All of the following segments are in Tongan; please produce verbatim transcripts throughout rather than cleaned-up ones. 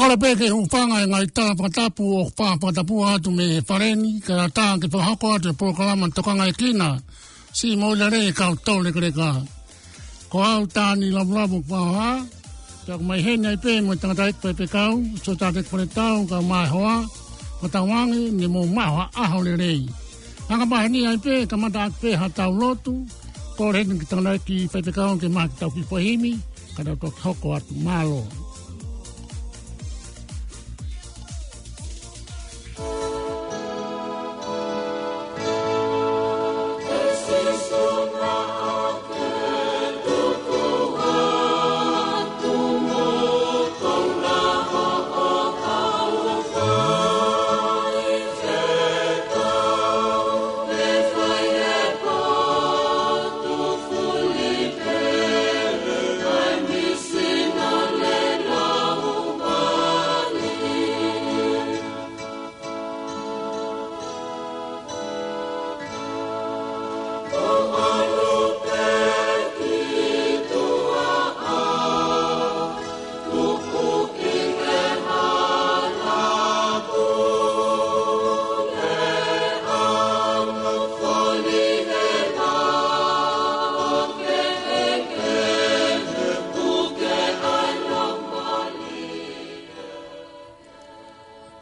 Kole pē ke hūfanga he ngaahi tala fakatapu ʻoku fakatapu atu mei he fale ni, kae ʻatā ke fakahoko atu e polokalama Tokangaekina, siʻi moʻui lelei ʻa e kau tau lekeleka. Ko au Tani Lavulavu Paha, pea ʻoku ou ʻi heni ai pē mo e tangataʻeiki faifekau, Siosiate Faletau, kae ʻumaʻā e hoa, ʻo tauange ne mou maʻu ha ʻaho lelei. Anga maheni ai pē, kamata atu pē ha tau lotu, kole heni ki he tangataʻeiki faifekau ke maʻu ha kiʻi tau kiʻi foʻi himi, kae tau toki hoko atu. Mālō.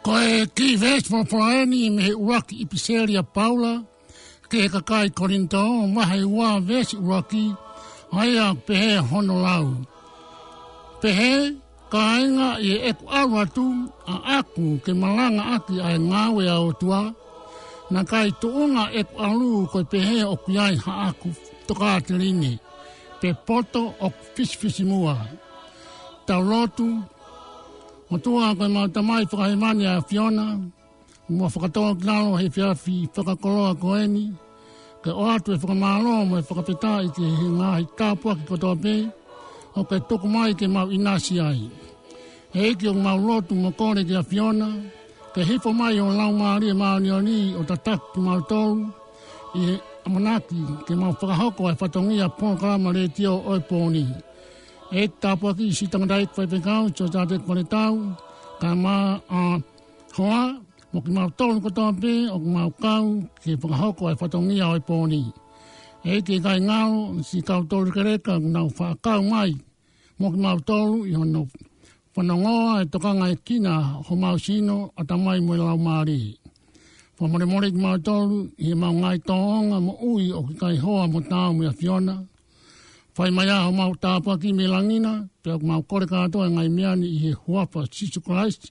Ko e kiʻi veesi folofola eni mei he ʻuluaki ʻipiseli ʻa Paula ki he kakai Kolinitō, vahe ua veesi ʻuluaki, ʻa ia ʻoku pehē hono lau. Pehē, kāinga, ʻi heʻeku ʻalu atu ʻaʻaku ke malangaʻaki ʻa e ngāue ʻa e ʻOtua, naʻe ʻikai tuʻunga ʻeku ʻalu ko e pehē ʻoku ʻi ai haʻaku tokāteline, pe poto ʻoku fisifisimuʻa. Tau lotu. ʻOtua ko ʻemau Tamai fakahēvani ʻa e ʻAfiona, ʻoku mau fakatōkilalo he efiafi fakakoloa ko eni, ke ʻoatu e fakamālō mo e fakafetaʻi ki he ngaahi tāpuaki kotoa pē ʻoku ke tuku mai ke mau ʻinasi ai. ʻEiki, ʻoku mau lotu mo kole ki he ʻAfiona, ke hifo mai ho Laumālie Māʻoniʻoni ʻo tataki kimautolu ʻi he ʻamanaki ke mau fakahoko ʻa e fatongia polokalama letiō ʻo e pō ni. ʻEiki, tāpuakiʻi siʻi tangataʻeiki faifekau, Siosiate Faletau, kae ʻumaʻā e hoa, mo kimautolu kotoa pē ʻoku mau kau ke fakahoko ʻa e fatongia ʻo e pō ni. ʻEiki, ʻikai ngalo siʻi kau tau lekeleka ʻoku nau faʻa kau mai mo kimautolu ʻi hono fanongoa e tokangaekina homau sino, ʻatamai mo e laumālie. Fakamolemole kimautolu ʻi heʻemau ngaahi tōʻonga moʻui ʻoku ʻikai hoa mo taau mo e ʻAfiona. Fai mai ā homau tāpuaki mei langi na, pea ʻoku mau kole kātoa e ngaahi meʻa ni ʻi he huafa ʻo Sīsū Kalaisi,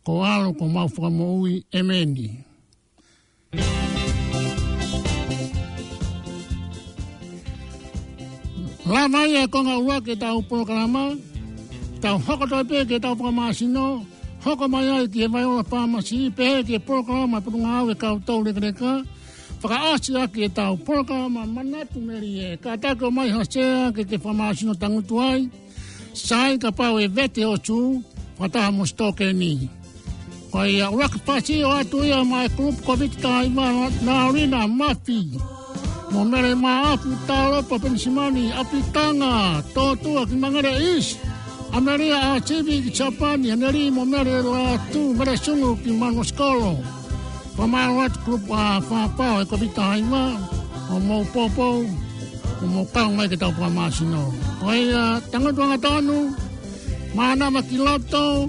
ko ho ʻAlo ko homau Fakamoʻui. ʻEmeni. Lava ia e konga ʻuluaki ʻetau polokalama, tau hoko atu pē ki heʻetau fakamāsino, hoko mai ai ki he Vaiola Pāmasi, pehē ki he polokalama Potungāue ʻa e kau tau lekeleka, fakaʻosi ʻaki ʻetau polokalama Manatu Melie, kātaki ʻo ʻomai ha sea ke ke fakamāsino tangutu ai, sai kapau ʻe vete hoʻo sū, fakataha mo e sitokeni. Ko ia, ʻuluaki pasi ʻoatu ia maʻa e kulupu Kōviti taha hiva, Naulina Mafi, mo Mele Maʻafu, Talopa Penisimani, ʻApitanga, Tōtua ki Mangere East, ʻAmelia ʻAsivi ki Siapani, Heneli mo Mele Latu, Mele Sungu ki Manuasikolo. Fakamālō atu kulupu ʻa Fapao he Kōviti taha hiva, ʻoku mou poupou, ʻoku mou kau mai ke tau fakamāsino. Ko ia, tangutu angatonu, mānava ki loto,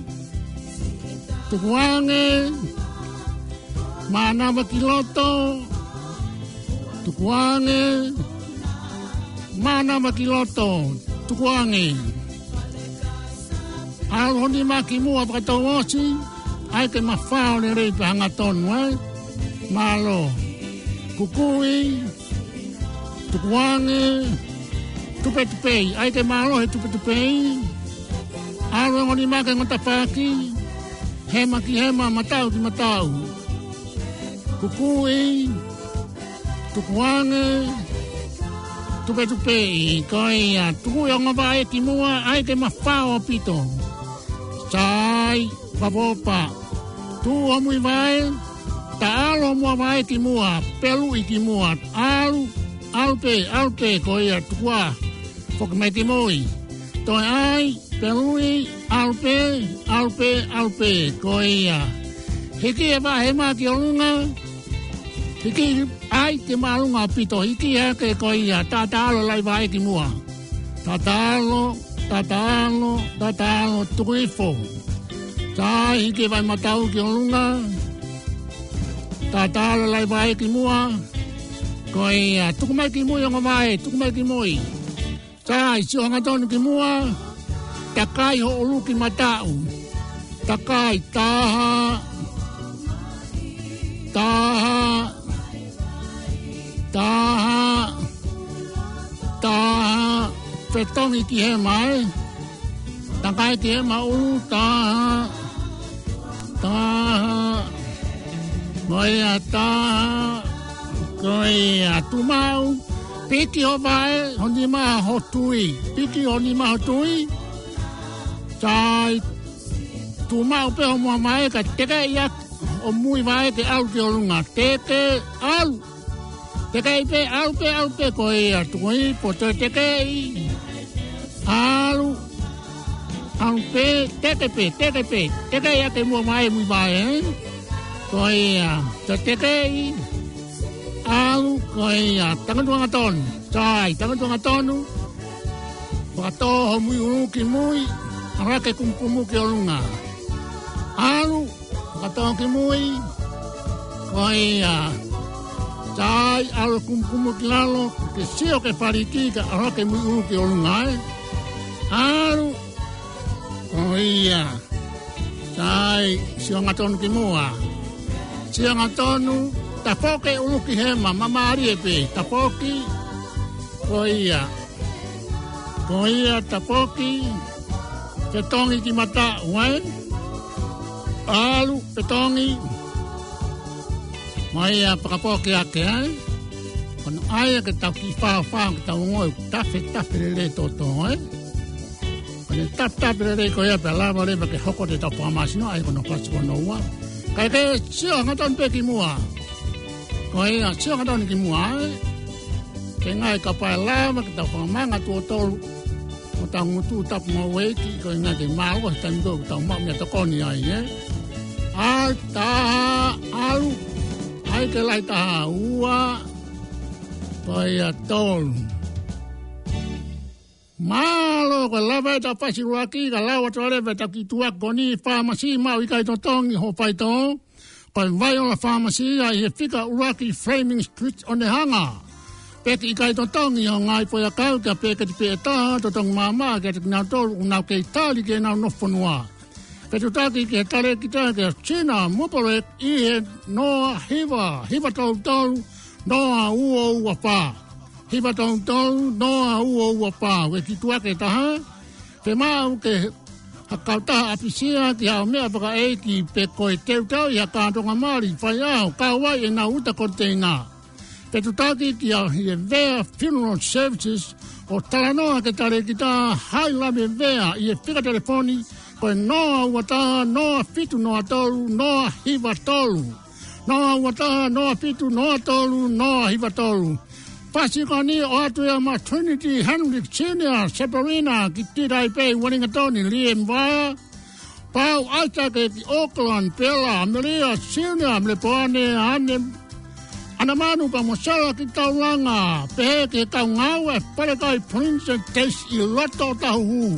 tukuange, mānava ki loto, tukuange, mānava ki loto, tukuange. ʻAlu ho nima ki muʻa fakatouʻosi, ʻai ke mafao lelei pea hangatonu, ē? Mālō. Kukui, tukuange, tupetupeʻi, ʻai ke mālohi e tupetupeʻi. ʻAlu e ongo nima ki he ongo tafaʻaki, hema ki hema, mataʻu ki mataʻu. Kukui, tukuange, tupetupeʻi, ko ia, tukuʻi e ongo vaʻe ki muʻa, ʻai ke mafao ʻaupito. Sai, fakaʻofoʻofa. Tuʻu homui vaʻe, taʻalo homou vaʻe ki muʻa, peluʻi ki muʻa. ʻAlu, ʻalu pē, ʻalu pē, ko ia, tukuā. Foki mai ki mui. Toe ʻai, pē ui, ʻalu pē, ʻalu pē, ʻalu pē, ko ia. Hiki e vaʻa hema ki ʻolunga, hiki ʻai ke māʻolunga ʻaupito, hiki hake ko ia, taʻataʻalo e laivaʻe ki muʻa. Taʻataʻalo, taʻataʻalo, taʻataʻalo, tuku hifo. Sai, hiki e vaʻa matau ki ʻolunga. Taʻataʻalo e laivaʻe ki muʻa. Ko ia, tuku mai ki mui ongo vaʻe, tuku mai ki mui. Sai, sio hangatonu ki muʻa. Takai hoʻo ʻuluki mataʻu. Takai, taha. Taha. Taha. Taha. Fetongi ki hema, ē. Takai ki hema ʻulu, taha. Taha. Ko ia, taha. Ko ia, tuʻu maʻu. Piki ho vaʻe, ho nima ho tui. Piki ho nima ho tui. Sai, tuʻu maʻu pē ho muʻa vaʻe, kae tekeʻi ʻaki ho mui vaʻe ke ʻalu ki ʻolunga. Teke, ʻalu. Tekeʻi pē, ʻalu pē, ʻalu pē, ko ia, tuku hifo, toe tekeʻi. ʻAlu. ʻAlu pē, teke pē, teke pē. Tekeʻi ʻaki e muʻa vaʻe, mui vaʻe, ē? Ko ia, toe tekeʻi. ʻAlu, ko ia, tangutu hangatonu. Sai, tangutu hangatonu. Fakatō ho mui ʻulu ki mui. ʻAlu hake kumukumu ki ʻolunga. ʻAlu. Fakatō ki mui. Ko ia. Sai, ʻalu kumukumu ki lalo, ke sio ki he faliki kae ʻalu hake mui ʻulu ki ʻolunga, ē. ʻAlu. Ko ia. Sai, sio hangatonu ki muʻa. Sio hangatonu, tafoki e ʻulu ki hema, māmālie pē, tafoki. Ko ia. Ko ia, tafoki. Fetongi ki mataʻu, ē? ʻAlu, fetongi. Mo ia, fakapoki hake, ē? Ko hono ʻai ia ke tau kiʻi fāfā, ke tau ongoʻi, tafe, tafe lelei toto, ē? Ko ʻene tafe, tafe lelei ko ia pea lava leva ke hoko atu ʻetau fakamāsino, ʻa ia ko hono fasi ko hono ua. Kae ke sio hangatonu pē ki muʻa. Ko ia, sio hangatonu ki muʻa, ē? Ke ngaahi kapau ʻe lava ke tau fakamanga tuʻo tolu. Ko ʻetau ngutu tapu mo e ʻEiki, ko e ngaahi ke mālō, he taimi ko ē ʻoku tau maʻu meʻatokoni ai, ē? ʻAi, taha, ʻalu. ʻAi ke lahi, taha, ua. Ko ia, tolu. Mālō, ko e lava ʻetau fasi ʻuluaki, ka lau atu leva ʻetau kiʻi tuʻa ko eni, fāmasi maʻu ʻikai totongi hoʻo faitoʻo. Ko e Vaiola Pharmacy ia ʻi he fika ʻuluaki Fleming Street ʻOnehunga. Peki ʻikai totongi hoʻo ngaahi foʻiʻakau, kae peketi pē ʻe taha, totongi maʻamaʻa kiate kinautolu ʻoku nau kei tali ki heʻenau nofo fonua. Fetuʻutaki ki he talēkita kia Sina Mupolek ʻi he noa hiva, hiva tolu tolu, noa ua ua fā. Hiva tolu tolu, noa ua ua fā. Ko e kiʻi tuʻa ʻe taha. Fiemaʻu ke ha kautaha ʻapisia ki haʻo meʻa fakaʻeiki pe ko e teuteu ʻi ha kātoanga mali faiʻaho, kau ai ʻenau uta koniteina. Fetuʻutaki kia Hievea Funeral Services ʻo talanoa ki he talēkita Hailave Vea ʻi he fika telefoni ko e noa ua taha, noa fitu noa tolu, noa hiva tolu. Noa ua taha, noa fitu noa tolu, noa hiva tolu. Fasi ko eni ʻoatu ia maʻa Trinity Henry Senior, Seperina ki Tītaipe, Uelingatoni, Liemvaya, Pau Aitake ki Auckland, Pela, Amelia Senior, Melepoane, ʻAne, ʻAnamanu pea mo Sela ki Taulanga, pehē ki he kau ngāue Falekai Princess Case ʻi loto Otahuhu.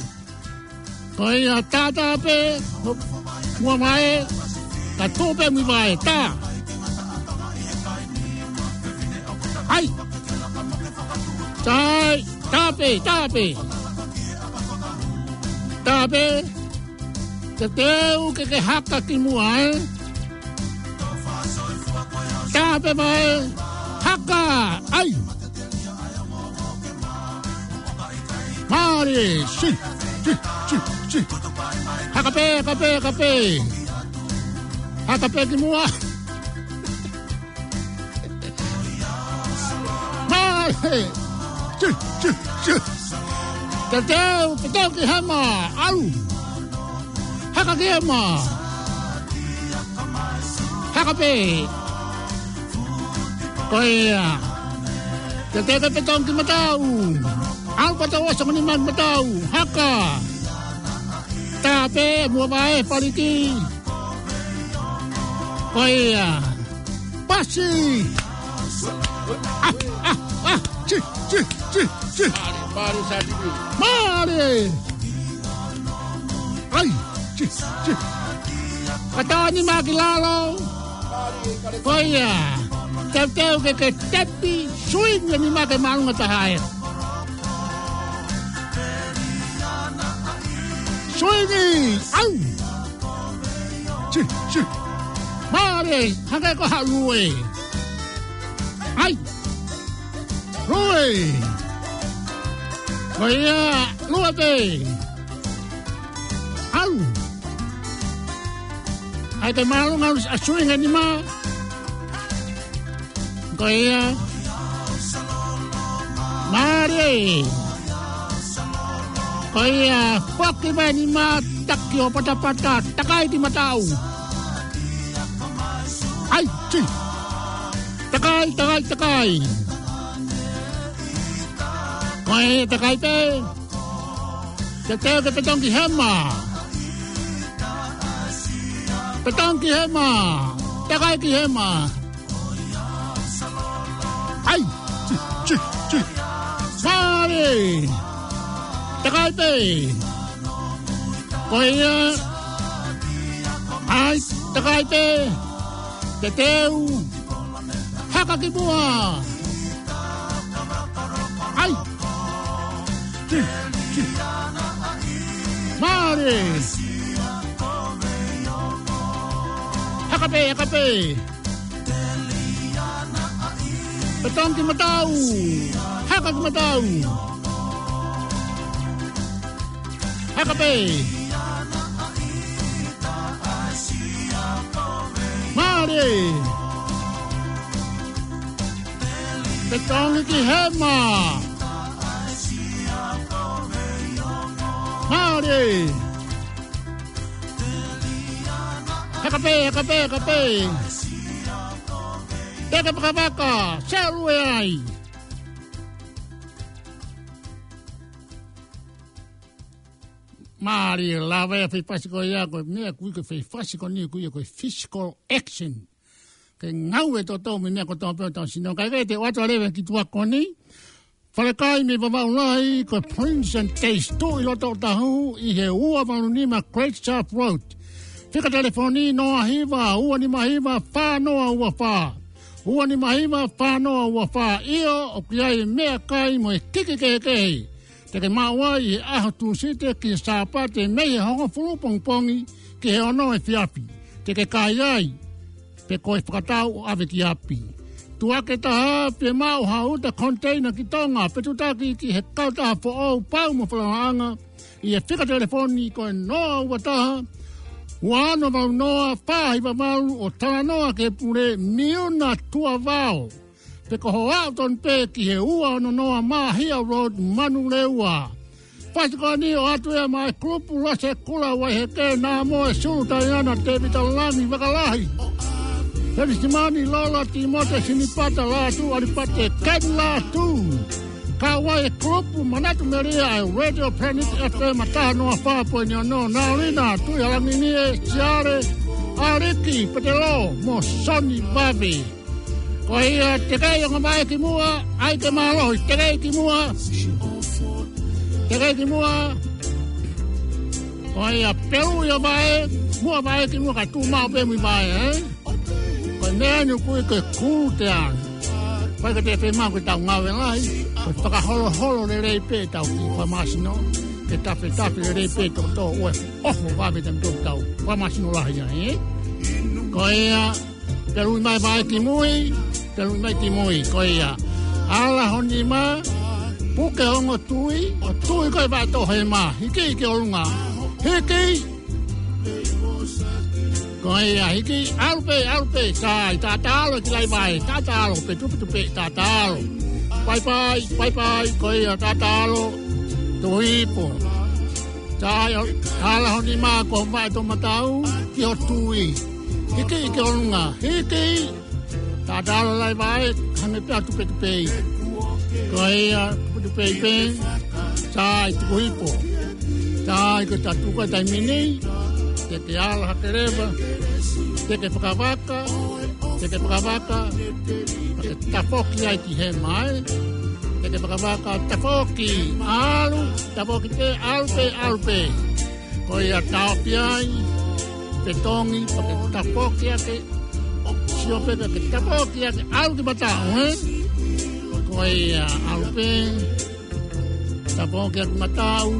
Ko ia, tā, tā pē, muʻa vaʻe, ka tō pē mui vaʻe, tā. ʻAi. Sai, tā pē, tā pē. Tā pē. Teuteu ke ke haka ki muʻa, ē? Tā pē vaʻe, haka, ʻai. Mālie, si, si, si, si. Haka pē, haka pē, haka pē. Haka pē ki muʻa. Mālie. Si, si, si. Teuteu, teuteu ki hema, ʻalu. Haka ki hema. Haka pē. Ko ia. Teuteu ke petongi ki matau. ʻAlu pē ʻo ʻosi ʻa e nima ki matau. Haka. Tā pē, muʻa vaʻe, faliki. Ko ia. Pasi. Ah, ah, ah. Tsi, tsi, tsi, tsi. Mālie, mālie, Sātivi. Mālie. ʻAi, tsi, tsi. Kata ʻa e nima ki lalo. Ko ia. Teuteu ke ke tepi, suingi ʻa e nima ki māʻolunga taha ē. Suingi, ʻau. Tsi, tsi. Mālie, hangē ko ha lue. ʻAi. Lue. Ko ia, lue pē. ʻAlu. ʻAi ke māʻolunga ʻa e suingi ʻa e nima. Ko ia. Mālie. Ko ia. Foki mai ʻa e nima, taki ʻo patapata, takai ki matau. ʻAi, tsi. Takai, takai, takai. Ko ia, takai pē. Teuteu ke petongi ki hema. Petongi ki hema. Takai ki hema. ʻAi. Tsi, tsi, tsi. Mālie. Takai pē. Ko ia. ʻAi. Takai pē. Teuteu. Haka ki muʻa. ʻAi. Tsi, tsi. Mālie. Haka pē, haka pē. Petongi ki matau. Haka ki matau. Haka pē. Mālie. Petongi ki hema. Mālie. Haka pē, haka pē, haka pē. Teke pakapaka, selu e ai. Mālie, lava e fai fasi ko ia, ko e meʻa ʻoku ui ko e fai fasi ko eni ʻoku ui ko e physical action. Ke ngāue totonu mo e meʻa kotoa pē ʻo tau sino. Kae kehe te u ʻoatu ʻa e leva ki tuʻa ko eni. Falekai mei Vavaʻu Lahi, ko e Prince and Taste, tuʻu ʻi loto Otahuhu, ʻi he ua valu nima Great South Road. Fika telefoni noa hiva, ua nima hiva, fā noa ua fā. Ua nima hiva, fā noa ua fā. ʻIo, ʻoku ʻi ai e meʻakai mo e kiki kehekehe. Te ke maʻu ai he ʻaho Tūsite ki he Sāpate mei he hongofulu pongipongi ki he ono efiafi. Te ke kai ai, pe ko e fakatau ʻo ʻave ki ʻapi. Tuʻa ke taha, pe maʻu ha uta container ki Tonga, pe tutaki ki he kautaha foʻou pau mo falalaʻanga, ʻi he fika telefoni ko e noa ua taha, ua ono valu noa, fā hiva valu, ʻo talanoa ki he pule Miuna Tuʻavao. Pe ko hoʻo aʻu tonu pē ki he ua ono noa Mahia Road, Manurewa. Fasi ko eni ʻoatu ia maʻa e kulupu Lose Kula Waiheke, Namoe Sulu Taiana, Tēvita Langi Vakalahi, Helisimani Lola, Timote Sinipata, Lātū ʻAlipate, Keni Lātū. Kau ai e kulupu Manatu Melia ʻa e Radio Planet F M taha noa fā poini ono, Naulina Tuʻihalanginie, Siale, ʻAliki Petelo, mo Soni Vave. Ko ia, teʻeki ai ʻo ngavaʻe ki muʻa, ʻai ke mālohi, teʻeki ai ki muʻa. Teʻeki ai ki muʻa. Ko ia, pelu ia vaʻe, muʻa vaʻe ki muʻa ka tuʻu maʻu pē mui vaʻe, ē? Ko e meʻa eni ʻoku ui ko e cool down. Ko e ka te fema ko e tau ngāue lahi, ko e fakaholoholo lelei pē tau ki fakamasino, ke tafetafe lelei pē tō tō ue, ʻoho vave tau tō tau fakamasino lahi ai, ē? Ko ia, pelu mai vaʻe ki mui, pelu mai ki mui, ko ia. Ala ho nima, puke ongo tui, ʻo tui ko e vaʻe tō hema, hiki ki ʻolunga. Hiki! Ko ia, hiki, ʻalu pē, ʻalu pē, sai, tātalo ki lai vaʻe, tātalo, petu, petu pē, tātalo. Pai pai, pai pai, ko ia, tātalo, tuhi ipu. Sai, ʻo, ala ho nima ko e vaʻe tō matau, ki ho tui. Hiki ki ʻolunga, hiki. Tātalo lai vaʻe, hangē pē ʻa tupetupe. Ko ia, putu pei pē, sai tuku ipo. Sai ko tatuka taimi ni, te ke ala hake leva, te ke fakavaka, te ke fakavaka, pea ke tafoki ai ki hema ē. Te ke fakavaka, tafoki, ʻalu, tafoki pē, ʻalu pē, ʻalu pē. Ko ia taofi ai, fetongi, pea ke tafoki ake, sio pē pea ke tafoki ake, ʻalu ki mataʻu, ē? Ko ia, ʻalu pē, tafoki ake mataʻu,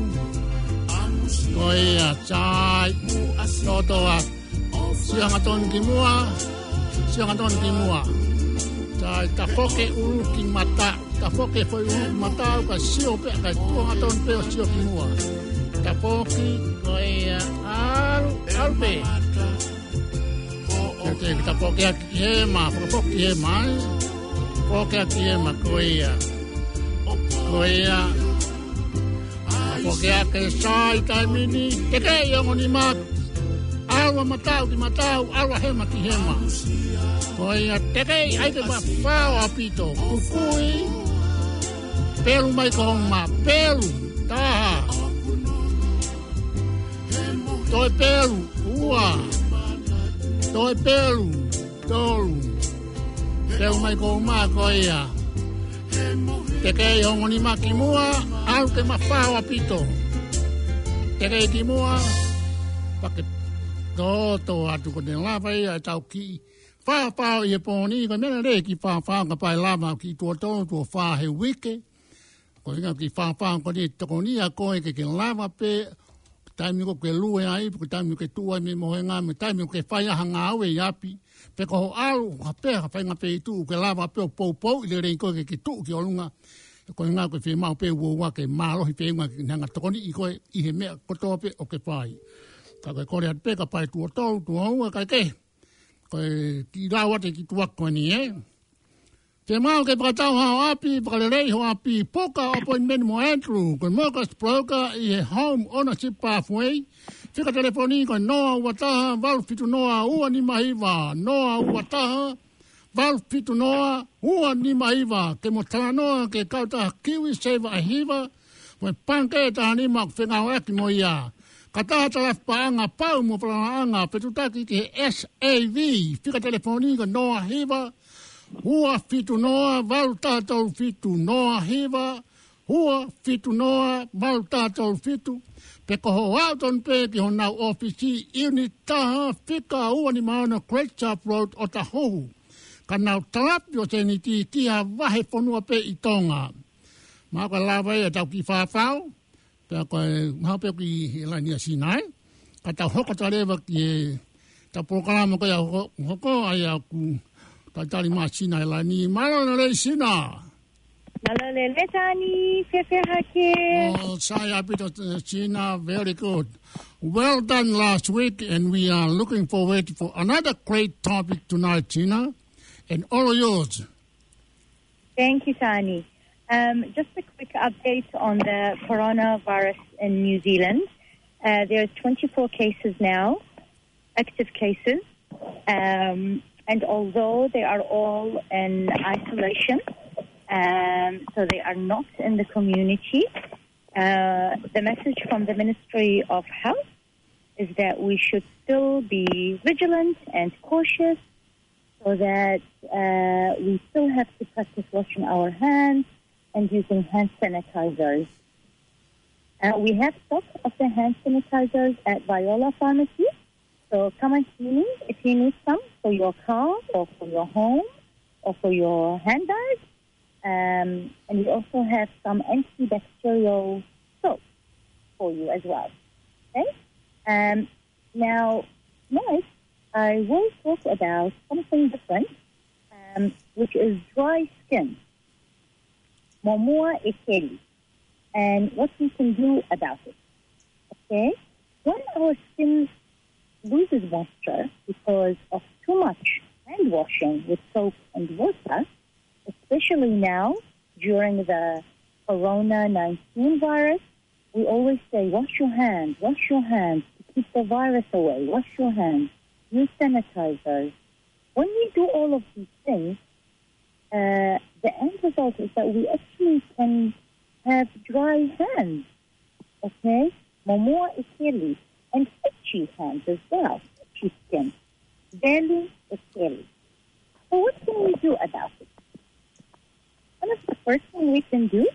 ko ia, sai, toto ake, sio hangatonu ki muʻa, sio hangatonu ki muʻa, sai, tafoki ʻulu ki mataʻu. Tafoki foʻi ʻulu ki mataʻu ka sio pē, ka tuʻu hangatonu pē ʻo sio ki muʻa. Tafoki, ko ia, ʻalu, ʻalu pē. Ke, ke tafoki ake ki hema, fakafoki ki hema, ē. Foki ake ki hema, ko ia. Ko ia. Foki ake sai taimi ni, tekeʻi ongo nima, ʻalu ʻa mataʻu ki mataʻu, ʻalu ʻa hema ki hema. Ko ia tekeʻi ai ke mafao ʻaupito, kukui, pelu mai ko ma, pelu, taha. Toe pelu, ua. Toe pelu, tolu. Pelu mai ko ma ko ia. Tekeʻi ongo nima ki muʻa, ʻalu ke mafao ʻaupito. Tekeʻi ki muʻa, pea ke toto atu ko ʻene lava ia ʻetau kiʻi fafao ʻi he pō ni, ko e meʻa lelei e kiʻi fafao kapau ʻe lava ʻo kiʻi tuʻo tolu, tuʻo fā he uike. Ko e ʻuhinga e kiʻi fafao ko eni ʻe tokoni ʻa koe ke ke lava pē, taimi ʻoku ke lue ai, pe ko e taimi ʻoku ke tuʻu ai mei he mohenga, mo e taimi ʻoku ke fai ai ha ngāue ʻi ʻapi. Pe ko hoʻo ʻalu, ha pē, ha faʻahinga feituʻu ke lava pē ʻo poupouʻi lelei koe ke ke tuʻu ki ʻolunga. Ko e ʻuhinga ko e fiemaʻu pē ʻe he ʻOtua ke mālohi feʻunga ke ne hanga ʻo tokoniʻi koe ʻi he meʻa kotoa pē ʻoku ke fai. Ka ko e kole atu pē kapau ʻe tuʻo tolu, tuʻo ua, kae kehe. Ko e kiʻi lau atu e kiʻi tuʻa ko eni, ē. Fiemaʻu ke fakatau haʻo ʻapi, fakaleleiʻi hoʻo ʻapi, puka appointment mo Andrew, ko e mortgage broker ʻi he Home Ownership Pathway. Fika telefoni ko e noa ua taha, valu fitu noa, ua nima hiva, noa ua taha, valu fitu noa, ua nima hiva, ke mo talanoa ki he kautaha KiwiSaver ʻe hiva, mo e pangikē ʻe taha nima ʻoku fengāueʻaki mo ia. Kautaha talafipaʻanga pau mo falalaʻanga, fetuʻutaki ki he S A V, fika telefoni ko e noa hiva, ua fitu noa, valu taha tolu fitu, noa hiva, ua fitu noa, valu taha tolu fitu, pe ko hoʻo aʻu tonu pē ki honau ʻōfisi, ʻiuniti taha, fika ua nima ono Great Sharp Road, Otahuhu. Ka nau talafi ʻo sēniti ki ha vahefonua pē ʻi Tonga. Mahalo ko e lava ia ʻetau kiʻi fafao, pea ko e mahalo pē ʻoku ʻi he laini ʻa Sina, ē? Ka tau hoko atu leva ki heʻetau polokalama ko ia hoko, hoko ai ʻoku talitali mai ʻa Sina he laini. Mālō e lelei Sina. Mālō e lelei Tani, fēfē hake? Oh, sai ʻaupito, uh, Sina, very good. Well done last week, and we are looking forward for another great topic tonight, Sina. And all yours. Thank you, Tani. Um, just a quick update on the coronavirus in New Zealand. Uh, there's twenty-four cases now, active cases. Um, and although they are all in isolation, um, so they are not in the community, uh, the message from the Ministry of Health is that we should still be vigilant and cautious so that, uh, we still have to practice washing our hands and using hand sanitizers. Uh, we have stock of the hand sanitizers at Viola Pharmacy, so come and see me if you need some for your car or for your home or for your handbag. Um, and we also have some antibacterial soap for you as well. Okay? Um, now, tonight, I will talk about something different, um, which is dry skin. Momoa ʻekeli. And what we can do about it. Okay? When our skin loses moisture because of too much hand washing with soap and water, especially now during the corona nineteen virus, we always say, "Wash your hands, wash your hands to keep the virus away. Wash your hands. Use sanitizers." When we do all of these things, uh, the end result is that we actually can have dry hands, okay? Momoa ʻi keli, and itchy hands as well, itchy skin. Velu ʻi keli. So what can we do about it? One of the first thing we can do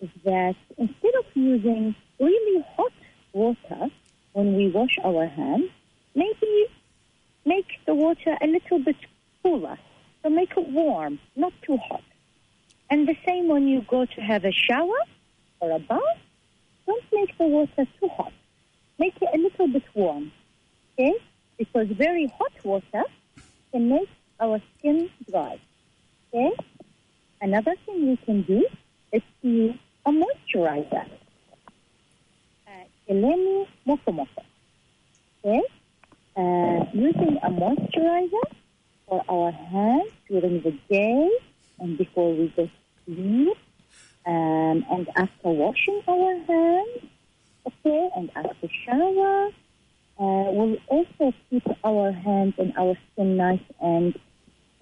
is that instead of using really hot water when we wash our hands, maybe make the water a little bit cooler. So make it warm, not too hot. And the same when you go to have a shower or a bath, don't make the water too hot. Make it a little bit warm, okay? Because very hot water can make our skin dry, okay? Another thing we can do is to use a moisturizer. Uh, ʻelemi mokomoko, okay? Uh, using a moisturizer for our hands during the day and before we go to sleep, um, and after washing our hands, okay, and after shower, uh, will also keep our hands and our skin nice and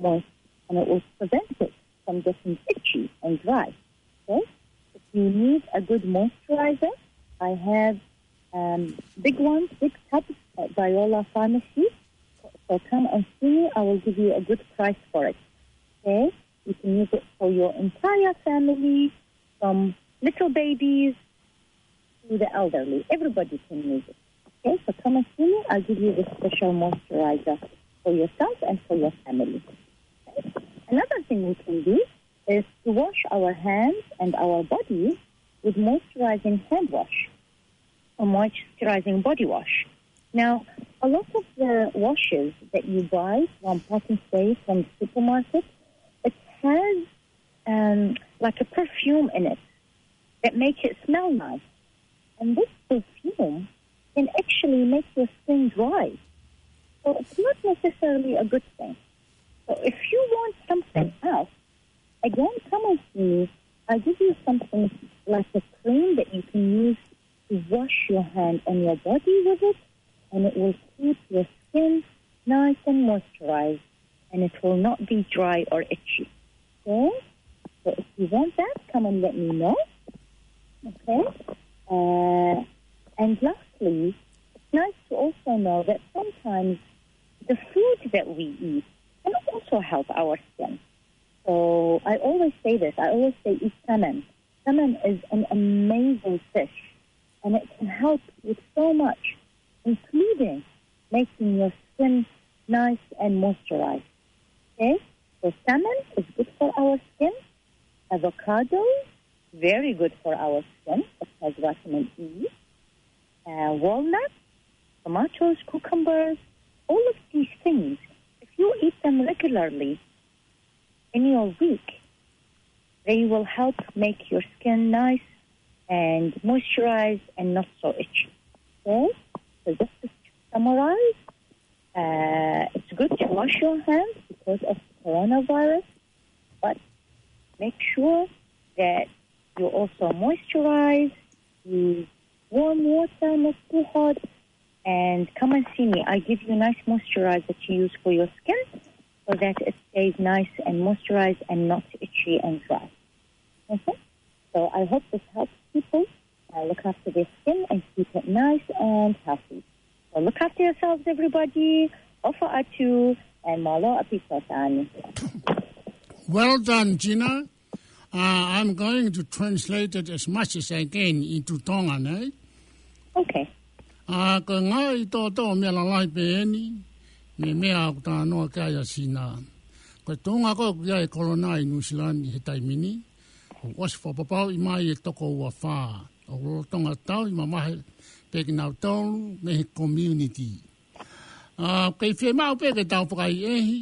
moist, and it will prevent it from getting itchy and dry. Okay? If you need a good moisturizer, I have, um, big ones, big tubs at Viola Pharmacy. So come and see me. I will give you a good price for it. Okay? You can use it for your entire family, from little babies to the elderly. Everybody can use it. Okay? So come and see me. I'll give you the special moisturizer for yourself and for your family. Okay? Another thing we can do is to wash our hands and our body with moisturizing hand wash or moisturizing body wash. Now, a lot of the washes that you buy from Pack and Save, from the supermarket, it has, um, like, a perfume in it that make it smell nice. And this perfume can actually make your skin dry. So it's not necessarily a good thing. So if you want something else, again, come and see me. I'll give you something like a cream that you can use to wash your hand and your body with it, and it will keep your skin nice and moisturized, and it will not be dry or itchy. Okay? So if you want that, come and let me know. Okay? Uh, and lastly, it's nice to also know that sometimes the food that we eat can also help our skin. So I always say this, I always say eat salmon. Salmon is an amazing fish, and it can help with so much, including making your skin nice and moisturized. Okay? So salmon is good for our skin. Avocado, very good for our skin. It has vitamin E. Uh, walnuts, tomatoes, cucumbers, all of these things, if you eat them regularly in your week, they will help make your skin nice and moisturized and not so itchy. Okay? So just to summarize, uh, it's good to wash your hands because of the coronavirus, but make sure that you also moisturize, use warm water, not too hot, and come and see me. I give you nice moisturizer to use for your skin so that it stays nice and moisturized and not itchy and dry. Okay? So I hope this helps people, uh, look after their skin and keep it nice and healthy. So look after yourselves, everybody. ʻOfa atu, and mālō ʻaupito Tani. Well done, Gina. Uh, I'm going to translate it as much as I can into Tongan, eh? Okay. Uh, ko e ngaahi tōtō meʻa lalahi pē eni, mei he meʻa ʻoku talanoa ki ai ʻa Sina. Ko e tuʻunga ko ē ʻoku ʻi ai e kolona ʻi Nuʻusila ni he taimi ni, ʻoku ʻosi fakapapauʻi mai e toko ua fā. ʻOku lolotonga tauhi mamahi pē kinautolu mei he community. ʻA, kei fiemaʻu pē ke tau fakaʻehiʻehi,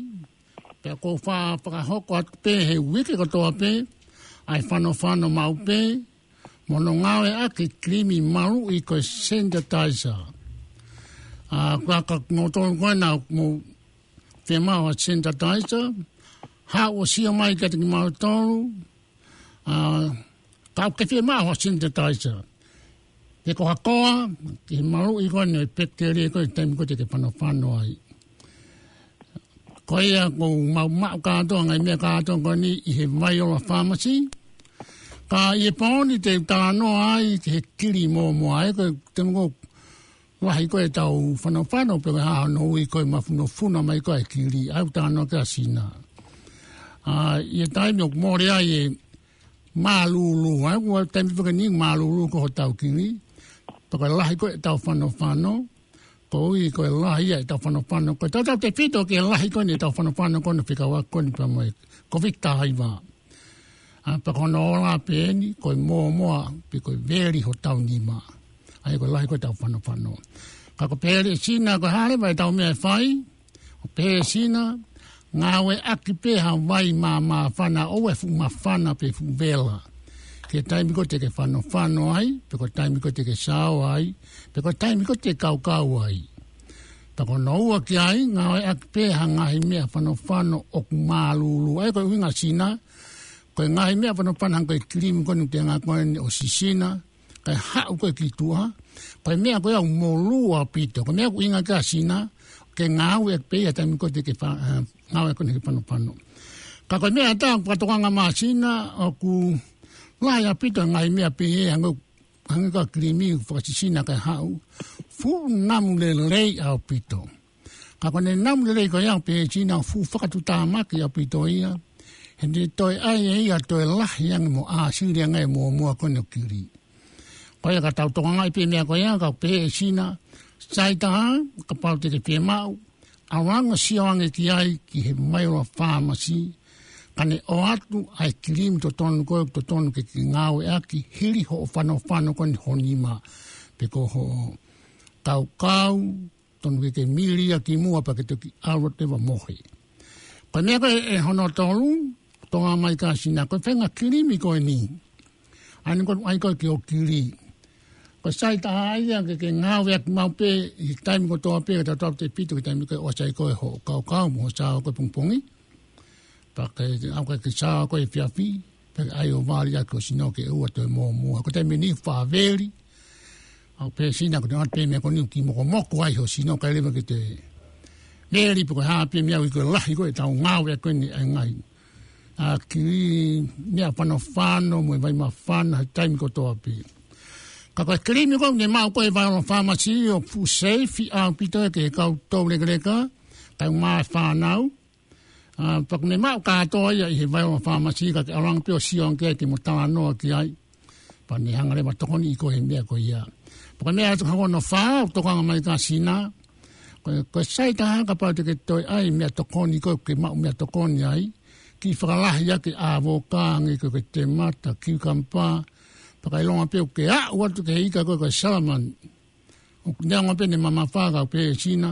pea ʻoku ou fa-, fakahoko atu pē he uike kotoa pē, ʻa e fanofano maʻu pē, mo hono ngāueʻaki e kilimi maluʻi ko e sanitizer. ʻA, ka, ka kimoutolu ko ena ʻoku mou fiemaʻu ha sanitizer, haʻu ʻo sio mai kiate kimautolu, ʻa, ka ʻoku ke fiemaʻu ha sanitizer. He ko ha koa, ke maluʻi ko eni e pekitelia ko ē he taimi ko ē te ke fanofano ai. Ko ia ʻoku mau maʻu kātoa ngaahi meʻa kātoa ko eni ʻi he Viola Pharmacy. Ka ʻi he pō ni te u talanoa ai ki he kili mōmoa, ē, ko e te nongo lahi ko ē ʻetau fanofano pe ko e hā hono ui ko e mafunofuna mai ko ē ʻa e kili, ʻa ia ʻoku talanoa ki ai ʻa Sina. ʻA, ʻi he taimi ʻoku mole ai e mālūlū, ʻa ia ʻoku ʻi ai e taimi pē ko eni mālūlū ko ē hotau kili, pe ko e lahi ko ē ʻetau fanofano, koeʻuhi ko e lahi ia ʻetau fanofano. Ko e tautautefito ki he lahi ko eni ʻetau fanofano ko eni fekauʻaki ko eni pea mo e Kōviti taha hiva. ʻA, pea ko hono ola pē eni, ko e mōmoa, pe ko e veli hotau nima. ʻA ia ko e lahi ko ē ʻetau fanofano. Ka ʻoku pehē ʻe Sina ko e hā leva ʻetau meʻa ʻe fai, ʻoku pehē ʻe Sina, ngāueʻaki pē ha vai māmāfana, ʻoua ʻe fuʻu māfana pe fuʻu vela. Ki he taimi ko ē te ke fanofano ai, pe ko e taimi ko ē te ke sao ai, pe ko e taimi ko ē te ke kaukau ai. Pea ko hono ua ki ai, ngāueʻaki pē ha ngaahi meʻa fanofano ʻoku mālūlū. ʻA ia ko e ʻuhinga ʻa Sina, ko e ngaahi meʻa fanofano hangē ko e kilimi ko eni ʻoku te ngāueʻaki ko eni ʻo sisina, kae haʻu ko ē ki tuʻa. Ko e meʻa ko ia ʻoku molū ʻaupito. Ko e meʻa ʻoku ʻuhinga ki ai ʻa Sina, ke ngāueʻaki pē ia taimi ko ē te ke fa-, ē, ngāueʻaki ko eni ke fanofano. Ka ko e meʻa ʻe taha ʻoku fakatokanga mai ʻa Sina, ʻoku lahi ʻaupito ngaahi meʻa pehē, hangē, hangē ko e kilimi ʻoku fakasisina kae haʻu. Fuʻu namu lelei ʻaupito. Ka ko ʻene namu lelei ko ia ʻoku pehē ʻe Sina ʻoku fuʻu fakatuʻutāmaki ʻaupito ia. He ʻoku ne toe ʻai ʻe ia ʻo toe lahi ange mo ʻāsili ange e mōmoa ko eni ʻo e kili. Ko ia ka tau tokangaʻi pē meʻa ko ia, ka ʻoku pehē ʻe Sina, sai taha, kapau te ke fiemaʻu, ʻalu ange ʻo sio ange ki ai ki he Viola Pharmacy, kae ne ʻoatu ʻa e kilimi totonu ko ē ʻoku totonu ke ke ngāueʻaki, hili hoʻo fanofano ko eni ho nima, pe ko hoʻo kaukau, totonu ke ke mili ia ki muʻa pea ke toki ʻalu atu leva ʻo mohe. Ko e meʻa ko ē ʻe hono tolu, tokangaʻi mai ʻe Sina, ko e faʻahinga kilimi ko eni. ʻA ia ko e ʻai ko ē ki hoʻo kili. Ko e sai taha ia ke ke ngāueʻaki maʻu pē, ʻi he taimi kotoa pē, ka tautautefito ki he taimi ko ē ʻoku sai ko ē hoʻo kaukau mo hoʻo sao ko ē pongipongi. Pea ke ʻalu ko ē ke sao ko ē efiafi, pea ke ʻai ʻo vali ʻaki ho sino ke ʻoua toe mōmoa. Ko e taimi ni faʻa veli, ʻoku pehē ʻe Sina ko e ʻoatu pē meʻa ko eni ʻoku kiʻi mokomoko ai ho sino kae ʻoua leva ke toe veli pe ko e hā pē meʻa ʻoku ʻikai ko e lahi ko ē ʻetau ngāueʻaki ko eni ʻa e ngaahi, ʻa, kili, meʻa fanofano mo e vai māfana he taimi kotoa pē. Ka ko e kilimi ko ē ʻoku ne maʻu ko ē ʻi he Viola Pharmacy ʻoku fuʻu seifi ʻaupito ia ki he kau toulekeleka, kae ʻumaʻā e fānau. ʻA, pea ʻoku ne maʻu kātoa ia ʻi he Viola Pharmacy ka ke ʻalu ange pē ʻo sio ange ki ai ke mo talanoa ki ai. Pea ne hanga leva ʻo tokoniʻi koe he meʻa ko ia. Pea ko e meʻa ʻe taha ko hono fā, ʻoku tokangaʻi mai ʻe Sina. Ko e, ko e sai taha kapau te ke toe ʻai meʻa tokoni ko ē ke maʻu meʻa tokoni ai. Kiʻi fakalahi ʻaki e ʻāvoka, hangē ko e temata, kiukampa. Pea ka ʻilonga pē ʻoku ke aʻu atu ki he ika ko ē ko e salamani. ʻOku neongo pē ʻene mamafa ka ʻoku pehē ʻe Sina,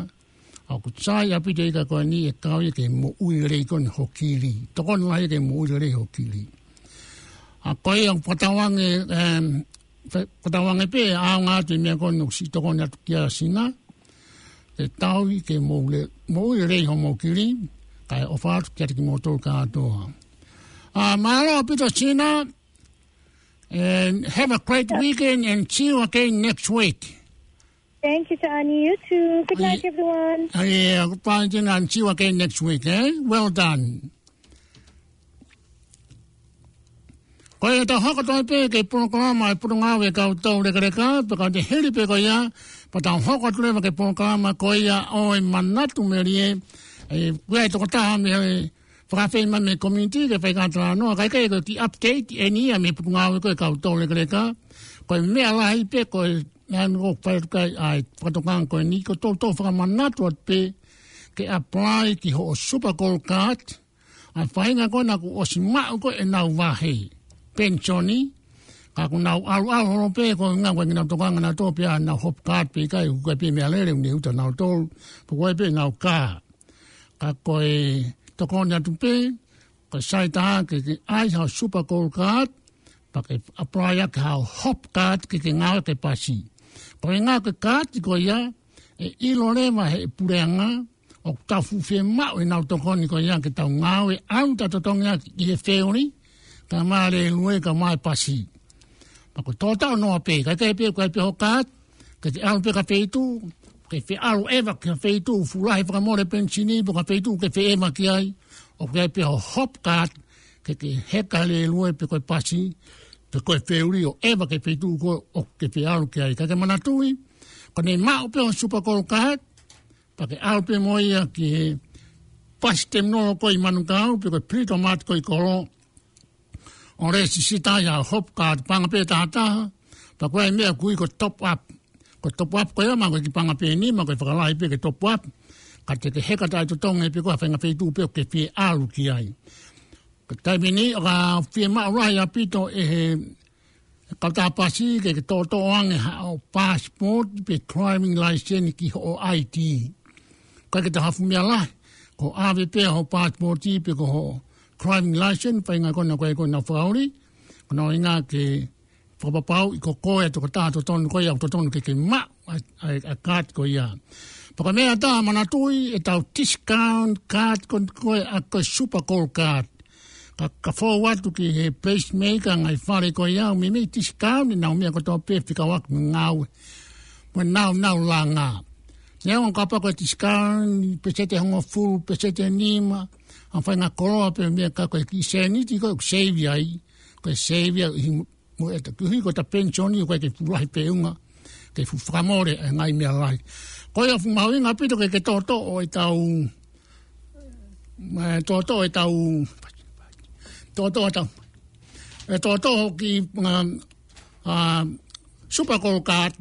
ʻoku sai ʻaupito e ika ko eni ʻe kau ia ki he moʻui lelei ko eni ho kili. Tokoni lahi ki he moʻui lelei ho kili. ʻA ko ia ʻoku fakatauange, em, fa-, fakatauange pē ʻaonga atu e meʻa ko eni ʻoku siʻi tokoni atu ki ai ʻa Sina. Ke tauhi ke moʻui le-, moʻui lelei hoʻomou kili, kae ʻofa atu kiate kimoutolu kātoa. ʻA, mālō ʻaupito Sina, and have a great weekend and see you again next week. Thank you, Tani. You too. Good night, everyone. ʻA ia, goodbye, Sina, and see you again next week, eh? Well done. Ko ia tau hoko atu ai pē ki he polokalama ʻa e Potungāue ʻa e Kau Toulekeleka, pea ka te hili pē ko ia, pea tau hoko atu leva ki he polokalama ko ia ʻo e Manatu Melie, ʻa ia ko e tokotaha mei he fakafeʻiloaki mei he community ke fai ha talanoa, kae kehe ko e kiʻi update eni ia mei he Potungāue ko ē ʻa e Kau Toulekeleka. Ko e meʻa lahi pē ko e meʻa ʻoku fai atu ki ai ʻa e fakatokanga ko eni, ko e toutou fakamanatu atu pē ke apply ki hoʻo Super Gold Card, ʻa e faʻahinga ko ē naʻa ku ʻosi maʻu ko ē ʻenau vahe penisoni, ka ʻoku nau ʻalu ʻalu holo pē ko e ngaahi ʻoku ʻikai ke nau tokanga nautolu pe ʻa ʻenau hop card pe ʻikai, ʻoku ʻikai pē meʻa lele ʻoku ne uta nautolu, pe ko e pē ʻenau kā. Ka ko e tokoni atu pē, ko e sai taha ke ke ʻai haʻo Super Gold Card, pea ke apply ʻaki haʻo hop card ke ke ngāue ke pasi. Ko e ngāue ko ē card ko ia, ʻe ʻilo leva ʻe he puleʻanga, ʻoku tau fuʻu fiemaʻu ʻenau tokoni ko ia ke tau ngāue ʻalu ʻo totongi ʻaki ʻi he feoli, kae ʻumaʻā e lue kae ʻumaʻā e pasi. Pea ko e tō taʻu noa pē, kae kehe pē ʻoku ʻikai pē hoʻo card, ke ke ʻalu pē ki ha feituʻu, ke fie ʻalu ʻeva ki ha feituʻu fuʻu lahi fakamole penisini, pe ko ha feituʻu ke fie ʻeva ki ai, ʻoku ʻi ai pē ho Hopecard, ke ke heka lēlue pe ko e pasi, pe ko e feuli ʻo ʻeva ki he feituʻu ko ē ʻoku ke fie ʻalu ki ai. Ka ke manatuʻi, ko ʻene maʻu pē ho Super Gold Card, pea ke ʻalu pē mo ia ki he bus terminal ko ē ʻi Manukau, pe ko e Britomart ko ē ʻi Kolo, ʻo lēsisita ia ho Hopecard, paʻanga pē ʻe taha taha, pea ko e meʻa ʻoku ui ko e top up. Ko e top up ko ia, mahalo ko e kiʻi paʻanga pē ʻe nima, mahalo ko e fakalahi pē ke top up, ka te ke heka taʻetotongi pē koe ha faʻahinga feituʻu pē ʻoku ke fie ʻalu ki ai. Ka taimi ni, ʻoku fiemaʻu lahi ʻaupito ʻe he kautaha pasi ke ke toʻotoʻo ange haʻo passport pe driving license ki hoʻo I D. ʻOku ʻikai ke toe haʻu ha meʻa lahi, ko e ʻave pē ho passport pe ko hoʻo driving license, faʻahinga ko ena ko ē ʻoku nau fakaʻuli, ko hono ʻuhinga ke fakapapauʻi ko koe ʻa e tokotaha totonu ko ia ʻoku totonu ke ke maʻu ʻa e, ʻa e, ʻa e card ko ia. Pea ko e meʻa ʻe taha, manatuʻi ʻetau discount card ko ē, ko e, ʻa, ko e Super Gold Card. Ka, ka fou atu ki he pacemaker, ngaahi fale ko ia, ʻoku meimei discount ʻenau meʻa kotoa pē fekauʻaki mo e ngāue, mo ʻenau, nau langa. Neongo kapau ko e discount, peseti ʻe hongofulu, peseti ʻe nima, ʻa e faʻahinga koloa pē meʻa, ka ko e kiʻi sēniti ko ē ʻoku save ai, ko e save ai ʻi mo e ta kuhi ko ʻeta penisoni ʻoku ʻikai ke fuʻu lahi feʻunga, ke fuʻu fakamole e ngaahi meʻa lahi. Ko ia ʻoku fuʻu mahuʻinga ʻaupito ke ke toʻotoʻo ʻetau, ē, toʻotoʻo ʻetau, toʻotoʻo ʻetau, ē, toʻotoʻo ki, ʻa, ʻa, Super Gold Card,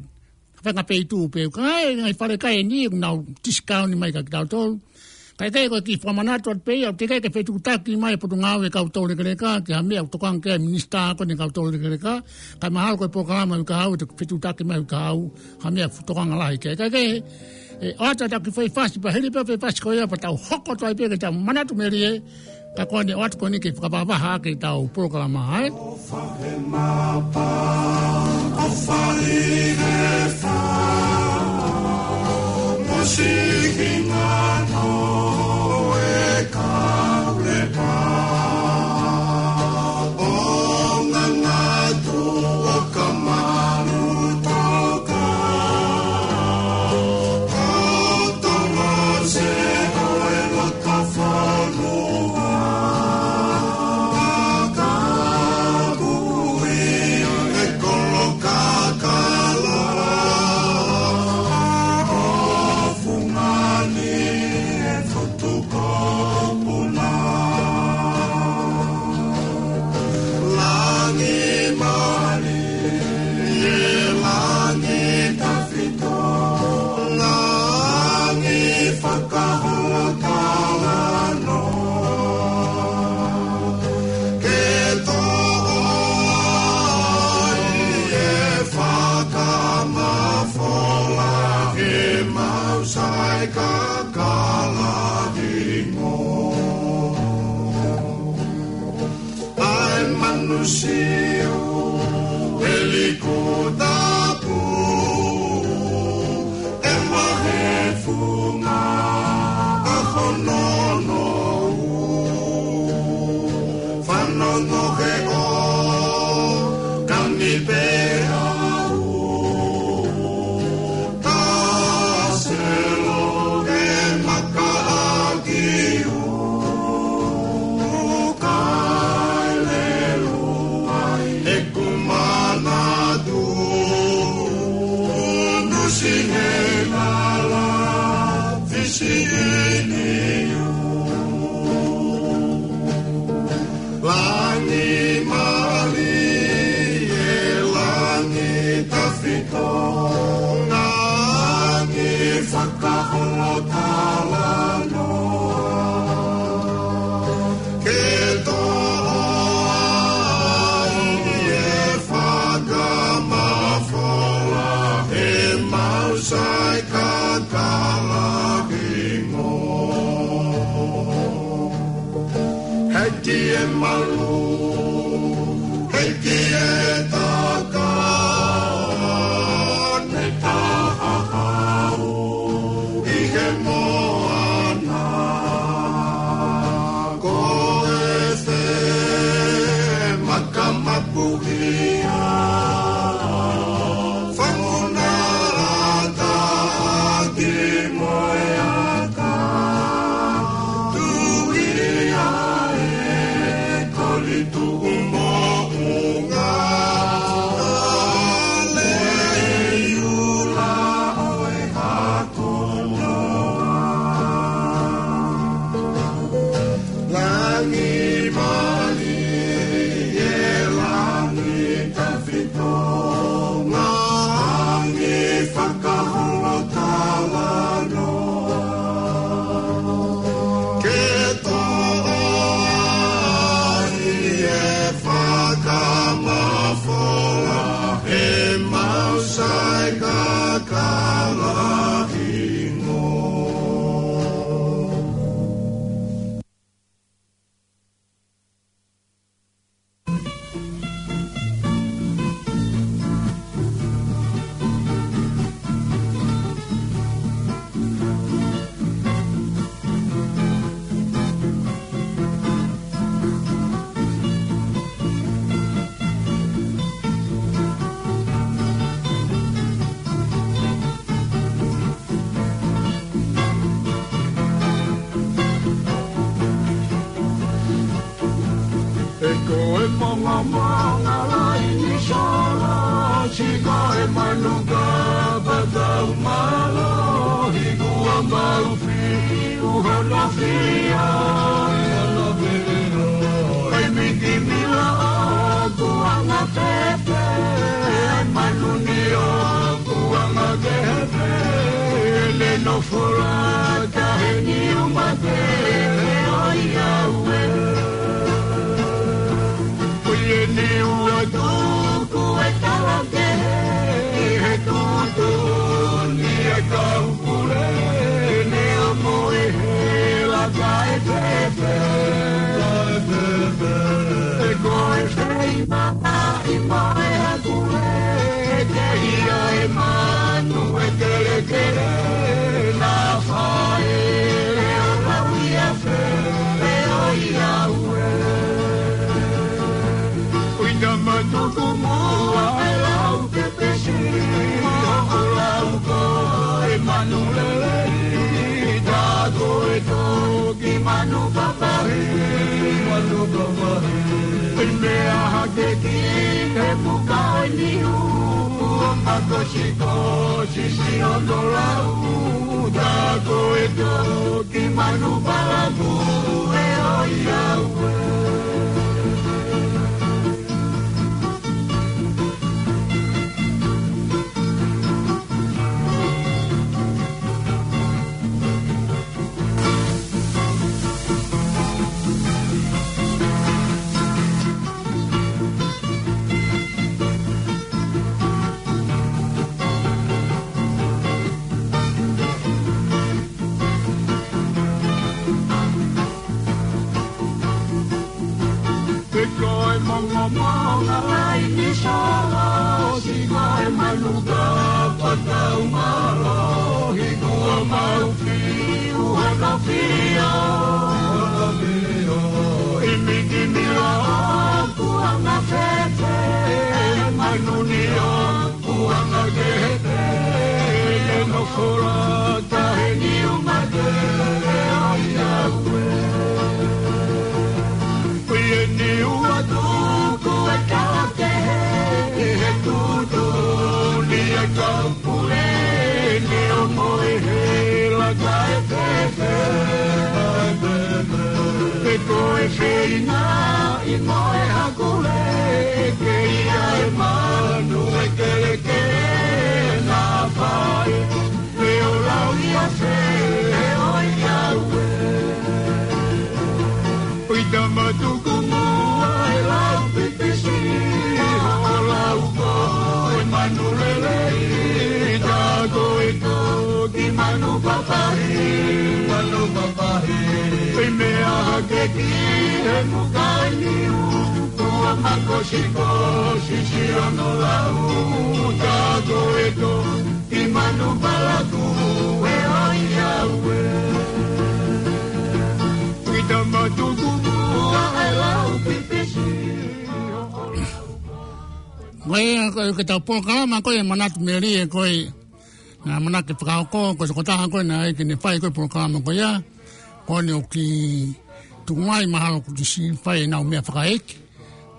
faʻahinga feituʻu pē, ka ʻi ai e ngaahi fale kai ʻe niʻihi ʻoku nau discount mai kia kitautolu. Kae kehe, ko e kiʻi fakamanatu atu pē ia, teʻeki ai ke fetuʻutaki mai e Potungāue Kau Toulekeleka ki ha meʻa ʻoku tokanga ki ai e Minisitā ko eni Kau Toulekeleka, kae mahalo ko e polokalama ʻoku ʻi ai, ʻe fetuʻutaki mai ʻe au ha meʻa ʻoku tokanga lahi ki ai. Kae kehe, ē, ʻoatu ʻetau kiʻi foʻi fasi, pea hili pē foʻi fasi ko ia, pea tau hoko atu ai pē ki heʻetau manatu melie, ka ko ʻene ʻoatu ko eni ke fakavahavaha ʻaki ʻetau polokalama, ē? Langi mali, ē langi tafito, langi fakaholo talanoa. Ke toʻo ai e fakamafola ʻemau sai kakala hingoa. ʻA e manu siu, ʻe liku tapu, ʻe mahe funga ʻa hono noʻu. Fanongo he ʻo kani pē au. Taselo e maka ʻaki u. Kae lelu ai ʻeku manatu. Nusi he lala fisi ini u. Langi mali, ē langi tafito, langi fakaholo talanoa. Ke toʻo ai e fakamafola ʻemau sai kakala hingoa. Heki e malu, heki e taka, ne tahahau ʻi he moana. Ko e fe makamapuhia, famunalata ki Mamonga laini solo, siko e manu ka patau mālohi, kuo mau fiu hono fio. Ai miti mila o kuanga fefe, ai manu ni o kuanga kehefe, ne nofo lata he niu mate, ʻe ʻoi au ē. Ko ia ni ua tuku e tala kehe, he tuʻutuʻuni e kau pule, ne ʻomo e hela kae fefe. Ko e fei maʻa i mo e hakule, ke ia e manu e kelekele, na fai e o lau ia fe, e o ia ue. Ui tama tuku mua e lau pepesi, o lau ko e manu lelei, ta ko e toki manu papahi, manu papahi. Pei meʻa hake ki he puka ʻo e niu, ʻo mako siko sisi ʻo no lau, ta ko e toki manu palaku e ʻoi au ē. Pe ko e mongo monga laini solo, siko e manu ka patau mālohi, kuo mau fiu hono fio. I miti mila o kuanga fefe, e manu ni o kuanga kehefe, ne nofo lata he niu mate, e ʻoi au ē. Ko ia ni ua tuku e tala kehe, he tuʻutuʻuni e kau pule, ne ʻomo e hela kae fefe. Pe ko e feinga i mo e hakule, ke ia e manu e kelekele na fai, pe o lau ia fe, e ʻoi au ē. Ui tama tuku mua e lau pipisi, o lau ko e manu lelei, ta ko e toki manu papahi, manu papahi. Pei meʻa hake ki he muka ʻo e niu, ʻo mako siko sisi ʻo no lau, ta ko e toki manu palaku e ʻoi au ē. Ui tama tuku mua e lau pipisi, o lau ko e Ko ia, ko e, ko e tau polokalama ko e Manatu Melie ko e, naʻa manatu ke fakahoko, ko e tokotaha ko e naʻe ʻai ke ne fai ko e polokalama ko ia, ko eni ʻoku tuku mai mahalo kuo ʻosi fai ʻenau meʻa fakaʻeiki,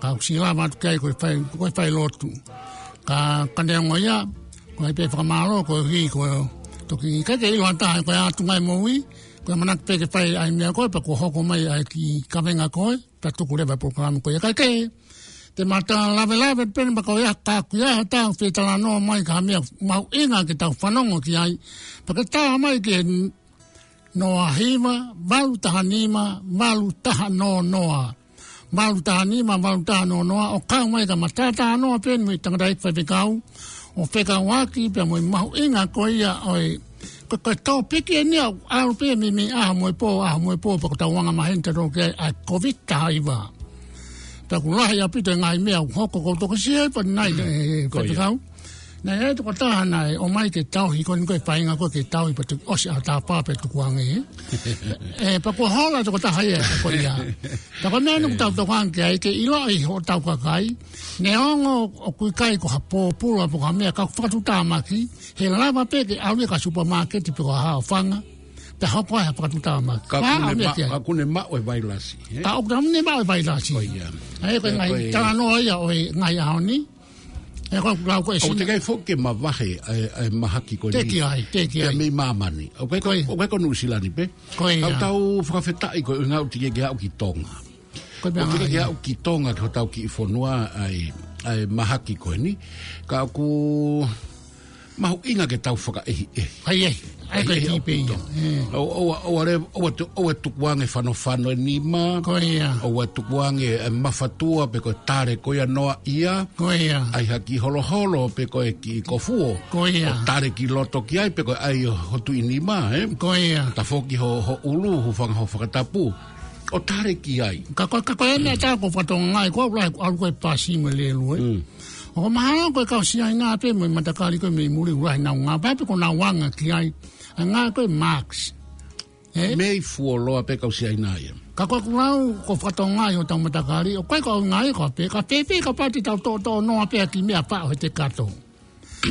ka ʻoku ʻosi lava atu ki ai ko e fai, ko e fai lotu. Ka, ka neongo ia, ko e pē fakamālō, ko e hiki, ko e toki ʻikai ke ʻilo ha taha, ko e ʻatu mai moʻui, ko e manatu pē ke fai ʻa e meʻa ko e, pea kuo hoko mai ʻa e kiʻi kavenga ko e, pea tuku leva e polokalama ko ia. Kae kehe, te ma toe lavelave pē eni pea ko ia ka ʻoku ʻi ai ha taha ʻoku fie talanoa mai ki ha meʻa mahuʻinga ke tau fanongo ki ai. Pea ke tā mai ki he noa hiva, valu taha nima, valu taha noa noa. Valu taha nima, valu taha noa noa, ʻo kau mai ka ma tātānoa pē eni mo e tangataʻeiki faifekau, ʻo fekauʻaki pea mo e mahuʻinga ko ia ʻo e, ko, ko e tōpiki eni ʻoku ʻalu pē mei, mei ʻaho mo e pō, ʻaho mo e pō, pea ko e tau anga maheni tautolu ki ai, ʻa e Kōviti taha hiva. Pea ʻoku lahi ʻaupito e ngaahi meʻa ʻoku hoko, ʻoku ou toki sio pē ʻanenai, ʻe, Ko ia. faifekau. Naʻe ʻi ai e tokotaha naʻe ʻomai ke tauhi, ko eni ko e feinga ko e ke tauhi pea toki ʻosi ʻaho tā pā pea tukuange. ʻE, pea kuo hola e tokotaha ia, ko ia. Pea ko e meʻa eni ʻoku tau tokanga ki ai ke ʻiloʻi hotau kakai. Neongo ʻoku ʻikai ko ha pōpula pe ko ha meʻa ka ʻoku fakatuʻutāmaki, he lava pē ke ʻalu ia ki ha supamaketi pe ko ha haʻofanga. Pea hoko ai ha fakatuʻutāmaki. Ka ʻoku ne maʻu e vailasi, ē? Ka ʻoku ne maʻu e vailasi. Ko ia. ʻA ia ko e ngaahi talanoa ia ʻo e ngaahi ʻaho ni. ʻA ia ko e lau ko e sina. ʻOku teʻeki ai foki ke mavahe ʻa e, ʻa e mahaki ko eni. Teʻeki ai, teʻeki ai. Pea mei māmani. ʻOku ʻikai ko, ʻoku ʻikai ko Nuʻusila ni pē. Ko ia. ʻOku tau fakafetaʻi ko e ʻuhinga ʻoku teʻeki ke aʻu ki Tonga. Ko e meʻa ʻoku teʻeki ke aʻu ki Tonga ki hotau kiʻi fonua ʻa e, ʻa e mahaki ko eni. Ka ʻoku mahuʻinga ke tau fakaʻehiʻehi. ʻA ia, ʻa ia ko e kiʻi pē ia. ʻOua, ʻoua, ʻoua tukuange fanofano e nima. Ko ia. ʻOua tukuange e mafatua pe ko e tale ko ia noa ia. Ko ia. ʻAi ha kiʻi holoholo pe ko e kiʻi kofuo. Ko ia. ʻO tale ki loto ki ai pe ko e ʻai ho tuʻi nima, ē? Ko ia. Tafoki ho, ho ʻulu, hūfanga ho fakatapu. ʻO tale ki ai. Ka ko, ka ko e meʻa ʻoku ou fakatokangaʻi, ko au lahi, ʻalu ko e pasi mo e lēlue. ʻOku mahalo ko e kau Siaina pē mo e matakali ko e mei muli ʻoku lahi ʻenau ngāue, pea ko ʻenau anga ki ai. ʻA e ngāue ko e masks. Ē? Mei fuoloa pē kau Siaina ia. Ka ko ʻeku lau, ʻoku ou fakatokangaʻi hotau matakali, ʻoku ʻikai ko au ngāue ko pē, ka pēpē ka pati tau toʻotoʻo noa pē ʻa e kiʻi meʻa paʻo he te kato.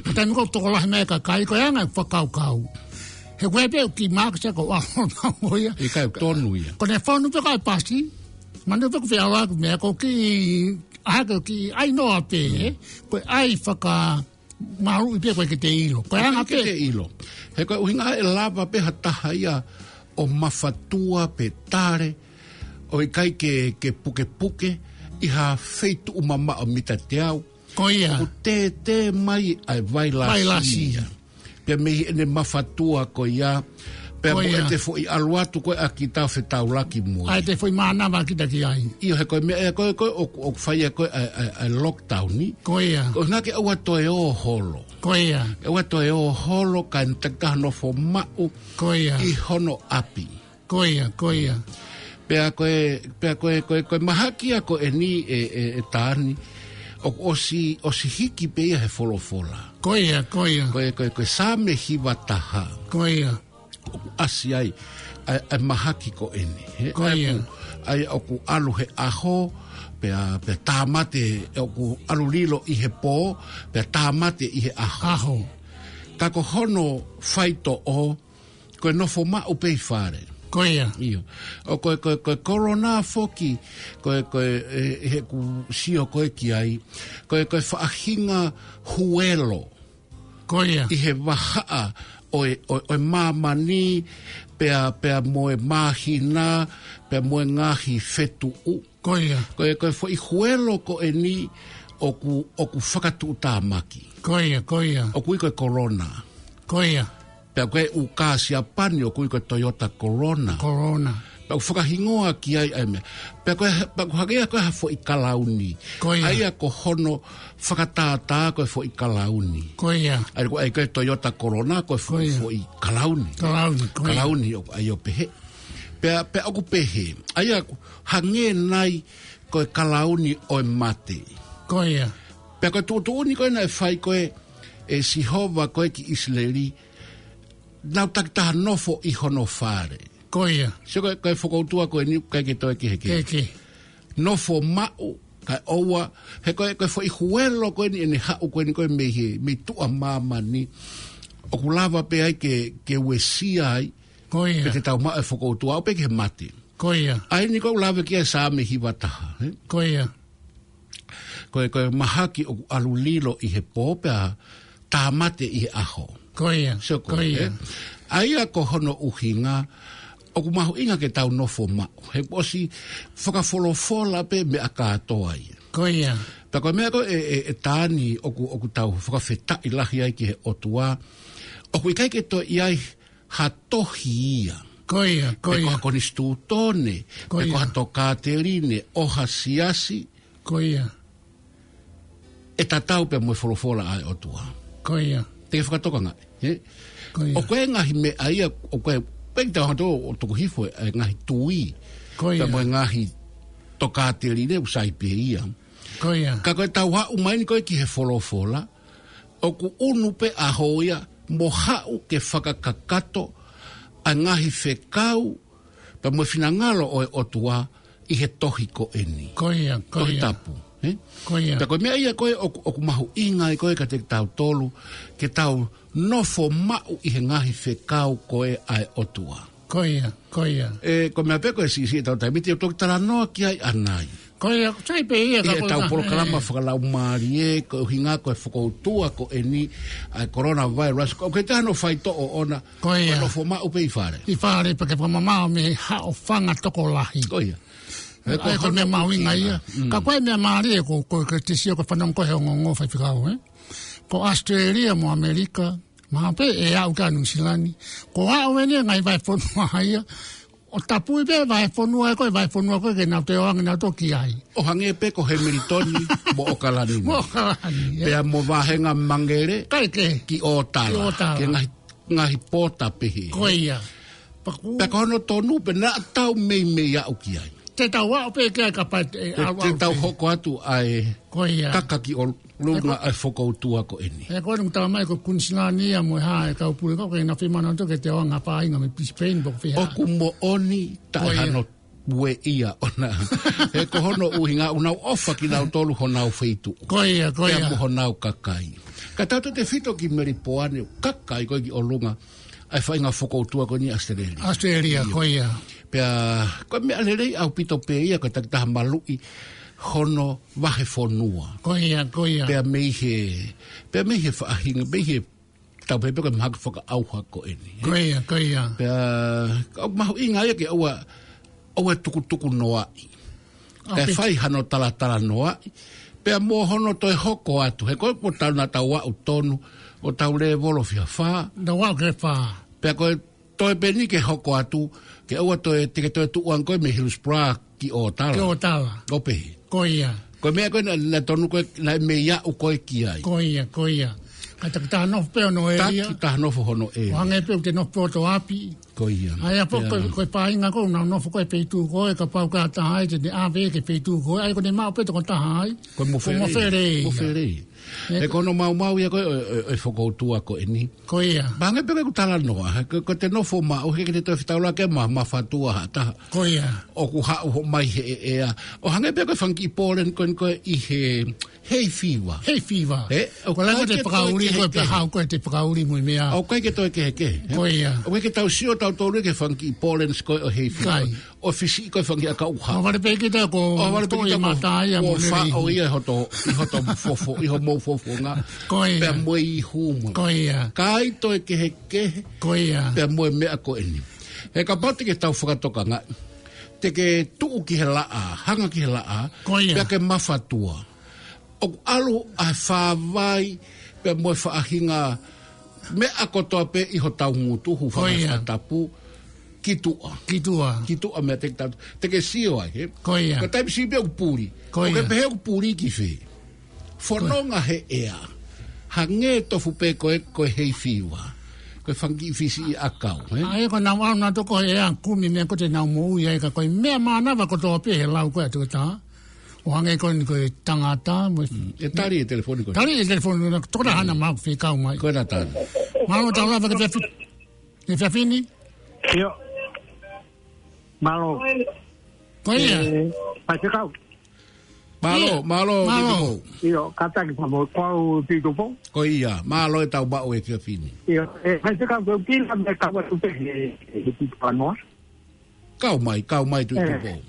Ka taimi ko ē ʻoku tokolahi mai e kakai, ko e anga e fakakaukau. He ko e pē ʻoku kiʻi masks ia ko au ʻalu mo ia. ʻIkai, ʻoku tonu ia. Ko ʻene fonu pē ko e pasi. Manatu pē ʻoku fie ʻalu ʻeku meʻa ko e kiʻi, ʻa ia ko e kiʻi ʻai noa pē, ē? Ko e ʻai fakamaluʻi pē ko e ʻikai ke te ʻilo. Ko e anga pē. ʻIkai ke te ʻilo. He ko e ʻuhinga ʻe lava pē ha taha ia ʻo mafatua pe tale, ʻo ʻikai ke, ke pukepuke ʻi ha feituʻu mamaʻo mita teau. Ko ia. ʻOku tētē mai ʻa e vailasi. Vailasi. Pea mei heʻene mafatua ko ia. Pea mo ʻete foʻi ʻalu atu ko ē ʻa kita ʻo fetaulaki mo ia. ʻA ʻete foʻi mānava kita ki ai. ʻIo, he ko e meʻa ē ko ē, ko ē ʻoku, ʻoku fai ʻa e ko ē ʻa e, ʻa e, ʻa e lockdown ni. Ko ia. Ko e ʻuhinga ke ʻoua toe ō holo. Ko ia. ʻOua toe ō holo kae takitaha nofo maʻu. Ko ia. ʻI hono ʻapi. Ko ia, ko ia. Pea ko e, pea ko e, ko e, ko e mahaki ia ko eni ē, ē, ē Tani, ʻoku ʻosi, ʻosi hiki pē ia he folofola. Ko ia, ko ia. Ko e, ko e, ko e Saame hiva taha. Ko ia. ʻOku ʻasi ai ʻa e, ʻa e mahaki ko eni, ē? Ko ia. ʻA ia ʻoku, ʻa ia ʻoku ʻalu he ʻaho, pea, pea tāmate, ʻoku ʻalu lilo ʻi he pō, pea tāmate ʻi he ʻaho. ʻAho. Ka ko hono faitoʻo, ko e nofo maʻu pē ʻi fale. Ko ia. ʻIo. ʻO ko e, ko e, ko e kolona foki, ko e, ko e, ē, heʻeku sio ko ē ki ai, ko e, ko e faʻahinga huelo. Ko ia. ʻI he vahaʻa ʻo e, ʻo, ʻo e māmani, pea, pea mo e māhina, pea mo e ngaahi fetuʻu. Ko ia. Ko e, ko e foʻi huelo ko eni ʻoku, ʻoku fakatuʻutāmaki. Ko ia, ko ia. ʻOku ui ko e kolona. Ko ia. Pea ko e ʻū kā Siapani ʻoku ui ko e Toyota Corona. Corona. Pea ʻoku fakahingoa ki ai ʻa e meʻa. Pea ko e, pea ʻoku hangē ia ko e ha foʻi kalauni. Ko ia. ʻA ia ko hono fakatātā ko e foʻi kalauni. Ko ia. ʻA ia ko e, ʻa ia ko e Toyota Corona ko e fo-, ko ia. Foʻi kalauni. Kalauni, ko ia. Kalauni ʻoku ʻai ʻo pehē. Pea, pea ʻoku pehē. ʻA ia ʻoku hangē nai ko e kalauni ʻo e mate. Ko ia. Pea ko e tuʻutuʻuni ko ē naʻe fai ko ē ʻe Sihova ko ē ki ʻIsileli, nau takitaha nofo ʻi hono fale. Ko ia. Sio ko e, ko e fokoutua ko eni ʻoku ʻikai ke toe kehekehe. Kehekehe. Nofo maʻu, kae ʻoua, he ko e, ko e foʻi huelo ko eni ʻene haʻu ko eni ko e mei he, mei tuʻa māmani. ʻOku lava pē ai ke, ke uesia ai, Ko ia. Pe te tau maʻu e fokoutua ʻo pē ki he mate. Ko ia. ʻA eni ʻoku lave ki ai Saame hiva taha, ē? Ko ia. Ko e, ko e mahaki ʻoku ʻalu lilo ʻi he pō pea tāmate ʻi he ʻaho. Ko ia. Sio ko ia. Ko ē, ē? ʻA ia ko hono ʻuhinga, ʻoku mahuʻinga ke tau nofo maʻu. He kuo ʻosi fakafolofola pē meʻa kātoa ia. Ko ia. Pea ko e meʻa ko ē, ē, ē Tani ʻoku, ʻoku tau fakafetaʻi lahi ai ki he ʻOtua. ʻOku ʻikai ke toe ʻi ai ha tohi ia. Ko ia, ko ia. Pe ko ha konisitūtone, pe ko ha tokāteline, ʻo ha siasi. Ko ia. ʻE tatau pē mo e folofola ʻa e ʻOtua. Ko ia. Te ke fakatokangaʻi, ē? Ko ia. ʻOku ʻi ai e ngaahi meʻa ia, ʻoku ʻi ai, pe te ʻoatu ʻo tuku hifo e ngaahi tui. Ko ia. Pea mo e ngaahi tokāteline ʻoku sai pē ia. Ko ia. Ka ko e tau haʻu mai eni ko ē ki he folofola, ʻoku ʻunu pē ʻaho ia mo haʻu ke fakakakato ʻa e ngaahi fekau, pea mo e finangalo ʻo e ʻOtua ʻi he tohi ko eni. Ko ia, ko ia. Tohi Tapu, ē? Ko ia. Pea ko e meʻa ia ko ē ʻoku, ʻoku mahuʻinga ai ko ē kiate kitautolu, ke tau nofo maʻu ʻi he ngaahi fekau ko ē ʻa e ʻOtua. Ko ia, ko ia. ʻE, ko e meʻa pē ko e siʻisiʻi ʻetau taimi, te u toki talanoa ki ai ʻanai. Ko ia, sai pē ia ʻI ka he ko e tau ka, polokalama ʻe. Fakalaumālie, ko e ʻuhinga ko e fokoutua ko eni, ʻa e coronavirus, ko e ʻikai te ne faitoʻo ʻona, Ko ia. Ko e nofo maʻu pē ʻi fale. ʻI fale, pea ke fakamamaʻo mei he haʻofanga tokolahi. Ko ia. ʻA ia ko e meʻa mahuʻinga ia. Mm. Ka ko e meʻa mālie ko, ko, ko e te sio ko e fanongo ko e he ongoongo faifekau, ē? Ko ʻAositelēlia mo ʻAmelika, mahalo pē ʻe aʻu ki Nuʻu Sila ni. Ko e aʻu eni e ngaahi vahefonua ia. ʻO tapui pē vahefonua ko e, vahefonua ko e ke nau toe ō ange nau toki ai. ʻO hangē pē ko Hemilitoni mo ʻOkalani. Mo ʻOkalani, ē. Pea mo vāhenga Mangere Kai ke. Ki ʻŌtala. Ki ʻŌtala. Ki he ngaahi, ngaahi pōta pehē. Ko ia. Paku. Pea ko hono tonu pē naʻa tau meimei aʻu ki ai. Te tau aʻu pē ki ai kapau ʻe Te, aʻu te aʻu tau pē. Hoko atu ʻa e Ko ia. Kaka ki ʻolunga ʻa e fokoutua ko eni. ʻE ko eni ʻoku tala mai ko Kuinisilani ia mo e hā e kau pule ko ē, ko e na fimana to ke te ō ange ha faʻahinga mei Brisbane, pea ko e fiha. ʻOku moʻoni taʻe Ko ia. Hano ue ia ʻona. He ko hono ʻuhinga ʻoku nau ʻofa kinautolu honau feituʻu. Ko ia, ko ia. Pea mo honau kakai. Ka tautefito ki Melipoane, kakai ko ē ki ʻolunga ʻa e faʻahinga fokoutua ko eni ʻAositelēlia. ʻAositelēlia, Ia. Ko ia. Pea, ko e meʻa lelei ʻaupito pē ia, ko e takitaha maluʻi hono vahefonua. Ko ia, ko ia. Pea mei he, pea mei he faʻahinga, mei he tau pehē pē ko e mahaki fakaʻauha ko eni, ē? Ko ia, ko ia. Pea, ka ʻoku mahuʻinga ia ke ʻoua, ʻoua tukutuku noaʻi. ʻOku Kae pē. Fai hano talatala noaʻi. Pea mo hono toe hoko atu. He ko e ʻoku tau naʻa tau aʻu tonu, ʻo tau lēvolo fiha fā. Tau aʻu ki he fā. Pea ko e toe pē eni ke hoko atu, ke ʻoua toe, te ke toe tuʻu ange ko ē mei Hillsborough ki ʻŌtala. Ki ʻŌtala. ʻO pehē. Ko ia. Ko e meʻa ko ē naʻa, naʻa tonu ko ē, naʻe mei aʻu ko ē ki ai. Ko ia, ko ia. Ka takitaha nofo pē hono ʻēlia. Takitaha nofo hono ʻēlia. ʻO hangē pē ʻoku te nofo pē ʻo toe ʻapi. Ko ia. ʻA ia pē ko e, Pea. Ko e faʻahinga ko ē, nau nofo ko ē feituʻu ko ē, kapau ko ha taha ai, te ne ʻave ki he feituʻu ko ē, ʻa ia ko ʻene maʻu pē toko taha ai. Ko e mofele. Ko e mofele ia. Mofele. Ē, Ko hono maumau ia ko ē, ʻo, ʻo, ʻo e fokoutua ko eni. Ko ia. Pea hangē pē ko ʻeku talanoa, he ko, ko ʻete nofo maʻu, he ʻikai te toe fetaulaki mo ha mafatua ha taha. Ko ia. ʻOku haʻu hoʻo mai he ʻea. ʻO hangē pē ko e fanga kiʻi pollen ko eni ko ē ʻi he hay fever. Hay fever. Ē, ʻoku Ko e langa ʻikai te ke toe fakauli, ko e kehekehe. Pehē ko ē te fakauli mo e meʻa. ʻOku ʻikai ke toe kehekehe, ē? Ko ia. ʻOku ʻikai ke tau sio tautolu ki he fanga kiʻi pollens ko ē ʻo hay fever. ʻIkai. ʻO fisiʻi ko e fanga kiʻi ʻakau ʻuha. ʻO vale pē kita ko ʻO vale pē toi kita ko mata ia ʻo mo faʻo lelei. Ia ʻi hoto, ʻi hoto fofo, ʻi homou fofonga. Ko ia. Pea mo e ihu mo. Ko ia. ʻIkai toe kehekehe. Ko ia. Pea mo e meʻa ko eni. He kapau te ke tau fakatokangaʻi. Te ke tuʻu ki he laʻā, hanga ki he laʻā. Ko ia. Pea ke mafatua. ʻOku ʻalu ʻa e fāvai, pea mo e faʻahinga meʻa kotoa pē ʻi hotau ngutu, hūfanga Ko ia. He fakatapu, ki tuʻa. Ki tuʻa. Ki tuʻa meʻa te ke tau, te ke sio ai, he? Ko ia. Ko e taimi siʻi pē ʻoku puli. Ko ʻOku ke ia. Pehē ʻoku puli ki fē. Fononga he ʻea. Hangē tofu pē ko e, ko e hay fever. Ko e fanga kiʻi fisiʻi ʻakau, he? ʻA ia ko ʻenau ʻalu nautolu ko e ʻea kumi meʻa ko ē te nau moʻui ai ka ko e meʻa mānava kotoa pē he lau ko ē ʻa e toketā. ʻO hangē ko eni ko e tangata, mo e Mm, ʻe tali e telefoni ko ē. Tali e telefoni ko ē, tokona hana mau fekau mai. Ko ena tali. Mālō tau lava ke fefini. Ke fefini? ʻIo. Mālō. Ko ia. Ē, faifekau. Mālō, Ia. Mālō, Mālō. Pito Pou. ʻIo, kātaki pamo, ko au Pito Pou. Ko ia, mālō e tau maʻu e fefini. ʻIo, ē, faifekau ko e kila me kau atu pē he, he Pito Panoa. Kau mai, kau mai tu Ē. Pito Pou.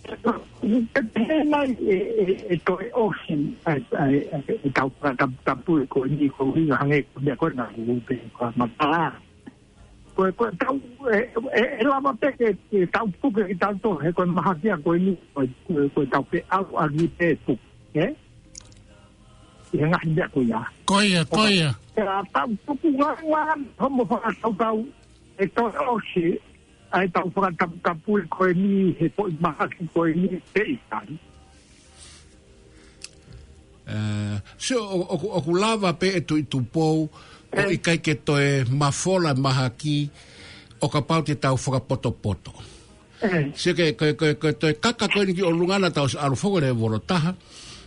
Ē, ē, mai, ē, ē, ē, toe ʻosi, ē, ē, ē, ē, tau ka tap-, tapu e ko eni ko eni hangē ko meʻa ko ena ko pe ko matala. Ko e, ko e tau, ē, ē, ē lava pē ke, ke tau puke ki tau to, he ko e mahaki ia ko eni, ko e, ko e, ko e tau pē au a ni pē puke, ē? ʻI he ngaahi meʻa ko ia. Ko ia, ko ia. Ē, ʻa tau puku ngā, ngā, homo fakatautau, ʻe toe ʻosi, ʻa e tau fakataputapu ko eni, he ko e mahaki ko eni, te i tali. Ē, sio, ʻo, ʻoku, ʻoku lava pē ʻe Tuʻi Tupou, ʻo Ē. ʻIkai ke toe mafola mahaki, ʻo kapau te tau fakapotopoto. Ē. Sio ke, ke, ke, ke toe kaka ko eni ki ʻolunga naʻa tau ʻalu foki lēvolo taha.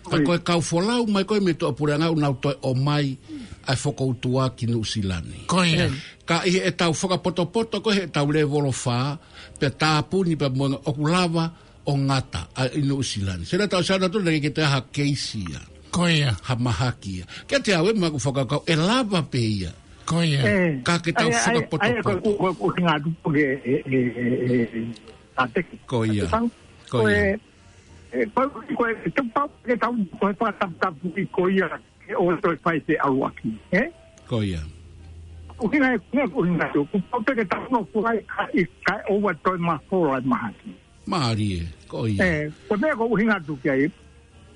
Ka Oi. Ko e kau folau mai ko ē mei tuʻapuleʻanga ʻoku nau toe ʻomai ʻa e fokoutua ki Nuʻu Sila ni. Ko ia. Ē. Ka ʻi heʻetau fakapotopoto ko ē heʻetau lēvolo fā, pea tāpuni pea mo e ngaahi ʻoku lava ʻo ngata ʻa ʻi Nuʻu Sila ni. Sio naʻa tau sio naʻa tau lelei ke te ha keisi ia. Ko ia. Ha mahaki ia. Kiate au ʻe maku fakakau, ʻe lava pē ia. Ko ia. Ka ke tau fakapotopoto. Ko e ʻuhinga atu ke, e, e, e, e, a te ki. Ko ia. Ko ia. E, ko e, ko e, tau pau ke tau, ko e fakataputapu i ko ia, ke ʻoua toe fai se ʻalu ʻaki, ē? Ko ia. ʻUhinga e, ʻuhinga, ʻuhinga atu. Kuo pau pē ke tau nofo ai, ka ʻi, kae ʻoua toe mafola e mahaki. Mālie, ko ia. E, ko e meʻa ʻoku ou ʻuhinga atu ki ai.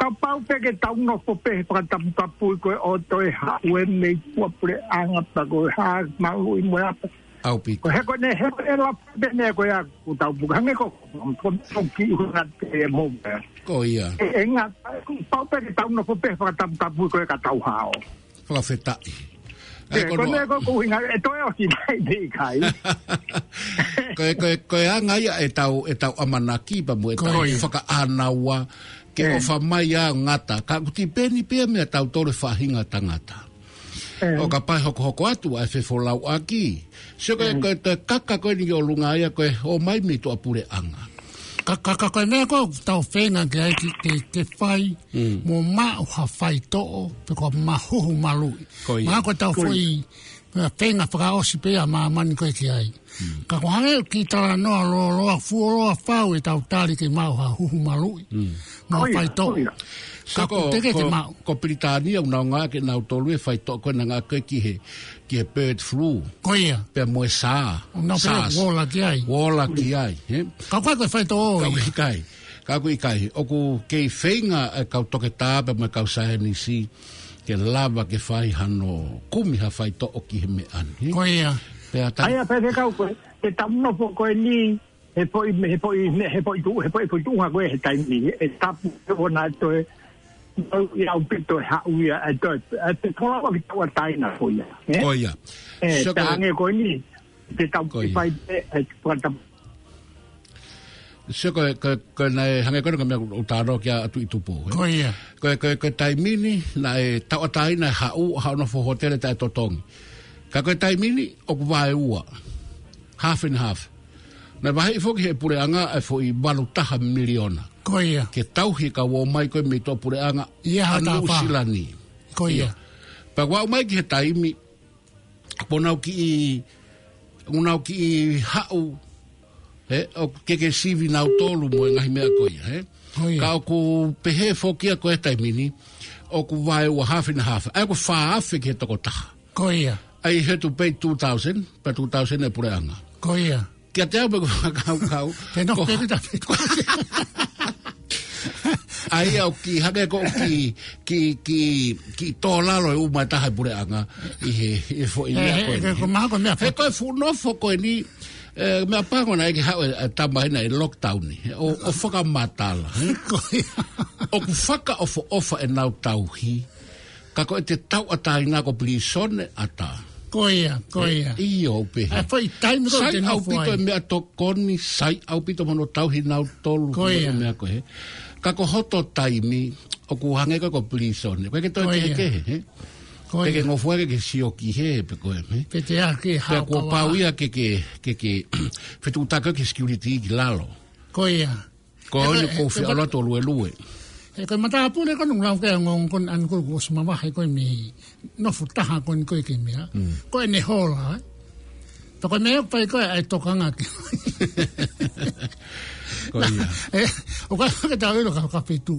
Kapau pē ke tau nofo pē he fakataputapu ko e ʻoua toe haʻu e mei tuʻapuleʻanga pea ko e hā malu i mo e apa. ʻAupito. Ko e he ko eni, he ko eni la pē meʻa ko ia ʻoku tau puke. Hangē ko, ko, ko ki ʻuhinga te mo. Ko ia. E, e ngata, pau pē ke tau nofo pē he fakataputapu ko e ka tau hao. Fakafetaʻi. Ē, ko e meʻa ko ʻoku ou ʻuhinga, ʻe toe ʻosi mai te ʻikai. Ko e, ko e, ko e anga ia ʻetau, ʻetau ʻamanaki pea mo ʻetau fakaʻānaua ke ʻofa mai ʻa ngata. Ka ʻoku tipeni pē ia meiate kitautolu e faʻahinga tangata. ʻO kapau ʻe hokohoko atu ʻa e fefolauʻaki. Sio ko e, ko e, ko e kaka ko eni ki ʻolunga ia ko e ō mai mei tuʻapuleʻanga. Ka, ka, ka, ko e meʻa ko ē ʻoku tau feinga ke ai ki, ke, ke fai, mo maʻu ha faitoʻo, pe ko e mahuhu maluʻi. Ko ia. Mahalo ko e tau foʻi, ʻa, feinga fakaʻosi pē ia ʻa māmani ko ē ki ai. Ka ko e hangē ki he talanoa lōloa, fuoloa fau ʻetau tali ke maʻu ha huhu maluʻi. Mo ha faitoʻo. Ka ʻoku teʻeki ke maʻu. Ko Pilitānia ʻoku nau ngāueʻaki ʻe nautolu e faitoʻo ko ē naʻe ngāueʻaki ki he, ki he bird flu. Ko ia. Pea mo e SARS. ʻO nau pē ʻoku ola ki ai. Ola ki ai, ē? Ka ʻoku ʻikai ko e faitoʻo ia. Ka ʻoku ʻikai. Ka ʻoku ʻikai. ʻOku kei feinga e kau toketā pea mo e kau saienisi ke lava ke fai hano kumi ha faitoʻo ki he meʻa ni. Ko ia. Pea ta- Ai, a pē te kau ko e, te tau nofo ko eni, he foʻi, he foʻi, he foʻi tuʻu, he foʻi, foʻi tuʻunga ko ē he taimi ni, ʻe tapu ke ʻoua naʻa toe, ʻi ʻaupito e haʻu ia, ʻe toe, ʻe te tolava ki tauʻatāina ko ia, ē? Ko ia. Ē, sio ko e hangē ko eni, te tau fai pē, ʻe, fakata- Sio ko e, ko e, ko e naʻe hangē ko eni ko e meʻa ʻoku ou talanoa ki ai atu ʻi Tupou, ē? Ko ia. Ko e, ko e, ko e taimi ni, naʻe tauʻatāina e haʻu, haʻu nofo hōtele taʻetotongi. Ka ko e taimi ni, ʻoku vaeua. Half and half. Naʻe vaheʻi foki ʻe he puleʻanga e foʻi valu taha miliona. Ko ia. Ke tauhi e kau ō mai ko ē mei tuʻapuleʻanga ʻa Nuʻusila ni. Ko ia. Pea ʻoku aʻu mai ki he taimi, ʻoku nau kiʻi, ʻoku nau kiʻi haʻu, ē, ʻoku ke ke sivi nautolu mo e ngaahi meʻa ko ia, ē. Ko ia. Ka ʻoku pehē foki ia ko e taimi ni, ʻoku vaeua half and half. ʻA ia ʻoku fā afe ki he tokotaha. Ko ia. ʻA ia he ʻoku pay two thousand, pea two thousand e puleʻanga. Ko ia. Kiate au pē ʻoku ou fakakaukau. Te nofo pē kita pē. ʻA ia ʻoku kiʻi hangē ko e kiʻi, kiʻi, kiʻi, kiʻi tō lalo e uma e taha e puleʻanga ʻi he, ʻi he foʻi meʻa ko eni. Ko e mahalo ko e meʻa. He ko e fuʻu nofo ko eni, ē, meʻapango naʻe ʻikai ke haʻu e, e tama ena e lockdown ni. ʻO, ʻo fakamatala. Ko ia. ʻOku fakaʻofoʻofa ʻenau tauhi. Ka ko ʻete tauʻatāina ko e pilīsone ʻatā. Ko ia, ko ia. ʻIo, pehē. ʻA e foʻi taimi ko ē te nofo ai. Sai ʻaupito e meʻatokoni, sai ʻaupito mo hono tauhi nautolu. Ko ia. Meʻa ko ē. Ka ko hoto taimi, ʻoku hangē ko e pilīsone. Ko e ke toe kehekehe, ē? Ko ia. Ke ke ngofua ke ke sio ki hē, pe ko e, ē? Pe te ake hao. Pea kuo pau ia ke ke, ke ke, fetuʻutaki ki he security ki lalo. Ko ia. Ko eni ʻoku ou fie ʻalu atu ʻo luelue. He ko e matāpule ko eni ʻoku lau ki ai e ongoongo ko eni ʻanenai kuo ʻosi mavahe ko ē mei he nofo taha ko eni ko ē ki he meʻa. Ko ʻene hola, ē. Pea ko e meʻa ʻoku fai ko ē ʻa e tokanga ki. Ko ia. Ē, ʻoku ʻikai ke tau ʻilo ka, ka feituʻu.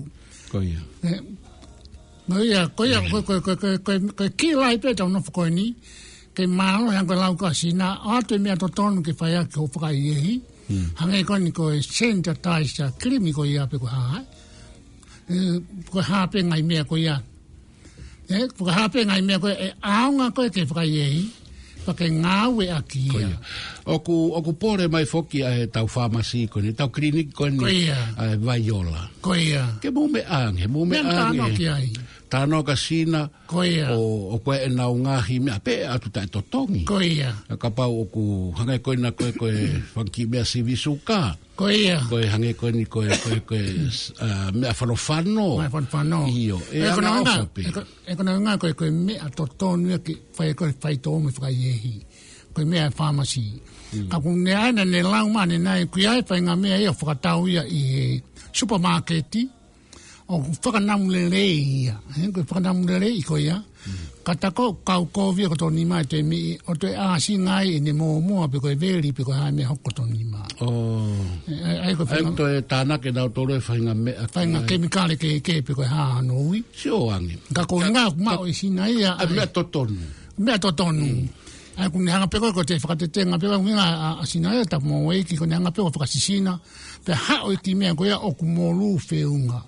Ko ia. Ē, Ko ia, ko ia, ko, ko, ko e key lai pē ʻetau nofo ko eni, ke mālō he ko e lau ko ē ʻa Sina, ʻoatu e meʻa totonu ke fai ʻaki hoʻo fakaʻehiʻehi, hangē ko eni ko e sanitizer, kilimi ko ia pe ko e hā, ē, ko e hā pē ngaahi meʻa ko ia. Ē, ko e hā pē ngaahi meʻa ko ē, ʻe ʻaonga ko ē ke fakaʻehiʻehi, pea ke ngāueʻaki ia. Ko ia. ʻOku, ʻoku pole mai foki ʻa ʻetau fāmasi ko eni, ʻetau kiliniki ko eni, ko ia, ʻa e Vaiola. Ko ia. Ke mou meʻa ange, mou meʻa ange. Meʻa talanoa ki ai. Talanoa kia Sina. Ko ia. ʻO, ʻoku ʻi ai ʻenau ngaahi meʻa pē ʻatu taʻetotongi. Ko ia. Kapau ʻoku hangē ko ena ko e, ko e fanga kiʻi meʻa sivi suka. Ko ia. Ko e hangē ko eni ko e, ko e, ko e, ā, meʻa fanofano. Meʻa fanofano. ʻIo, ʻe anga ʻofa pē. ʻE ko, ʻe ko e anga ko e, ko e meʻa totonu ia ke fai ko e faitoʻo mo e fakaʻehiʻehi. Ko e meʻa ʻa e fāmasi. Ka ʻoku ne ʻai ʻene lau mai ʻanenai, ʻoku ʻi ai e faʻahinga meʻa ia ʻoku fakatau ia ʻi he supermarket. ʻOku fakanamu lelei ia. He, ko e fakanamu lelei ko ia. Ka ta ko e kau kovi ʻa e koto nima ʻe te mi, ʻo toe ʻāsina ai ʻene mōmoa pe ko e veli pe ko e hā e meʻa hoko koto nima. ʻO. ʻE, ʻai, ʻai ko e ʻai fanga- ko e tānaki ʻe nautolu e faʻahinga meʻa faʻahinga ki ai. Kemikale kehekehe pe ko e hā hano ui. Sio ange. Ka ko e Ka, ngā ka, maʻu ʻe Sina ia ʻa e ʻai. Meʻa totonu. Meʻa totonu. ʻAi, ʻoku ne hanga pē ko e, ko e te fakatetenga pē ko e ʻuhinga ʻa, ʻa Sina ia, tapu mo e ʻEiki, ʻoku ne hanga pē ko e fakasisina. Pea haʻu e kiʻi meʻa ko ia ʻoku molū feʻunga.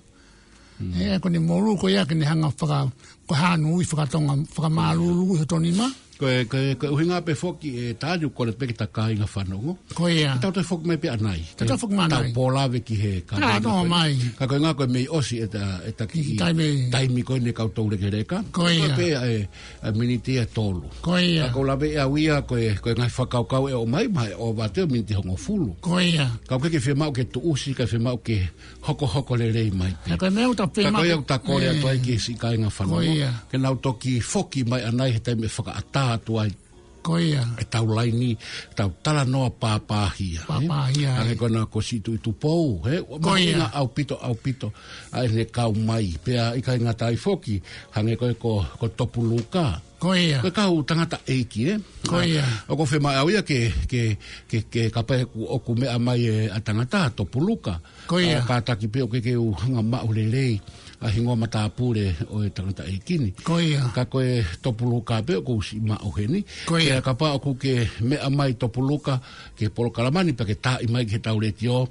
ʻE, ko ʻene molū ko ia ke ne hanga faka-, ko e hano ui fakatonga, fakamālūlū ʻi hoto nima. Ko e, ko e, ko e ʻuhinga pē foki ʻe Tani ʻoku kole pē ke ta kāinga fanongo. Ko ia. Tau toe foki mai pē ʻanai. Tau toe foki mai ʻanai. Tau pōlave ki he ka Ka nana noa ko e. Mai. Ka ko e ngā ko e mei ʻosi ʻeta, ʻeta kiʻi Kiʻi taimi. Taimi ko eni kau tau lekeleka. Ko ia. Ko e pē ʻa e, ʻa e miniti ʻe tolu. Ko ia. Ka ko e lave ʻe au ia ko e, ko e ngaahi fakakaukau ʻe ʻomai, mahalo ʻe ʻova atu e miniti hongofulu. Ko ia. Ka ʻoku ʻikai ke fiemaʻu ke tuʻusi, ka fiemaʻu ke hokohoko lelei mai pē. Ka ko e meʻa ʻoku ta pē Ka ko ia maʻu. ʻOku ta kole atu ai Ē. Ki he siʻi kāinga fanongo. Ko ia. Ke nau toki foki mai ʻanai he taimi ʻe fakaʻatā atu ai. Ko ia. ʻEtau laini, tau talanoa pāpāhia, ē? Pāpāhia, Hangē ē. Ko ena ko Siʻi Tuʻi Tupou, ē? Ko ia. Mahuʻinga ʻaupito, ʻaupito, ʻa ʻene kau mai. Pea ʻikai ngata ai foki, hangē ko e ko, ko Topuluka. Ko ia. Ko e kau tangataʻeiki, ē? Ko ia. ʻOku ou fiemaʻu au ia ke, ke, ke, ke kapau ʻoku, ʻoku meʻa mai e ʻa tangata, Topuluka. Ko ia. ʻA, kātaki pē ʻoku ʻikai ke u hanga maʻu lelei ʻa e hingoa matāpule ʻo e tangataʻeiki ni. Ko ia. Ka ko e Topuluka pē ʻoku ou siʻi maʻu heni. Ko ia. Pea kapau ʻoku ke meʻa mai Topuluka ki he polokalama ni pea ke taaʻi mai ki heʻetau letiō,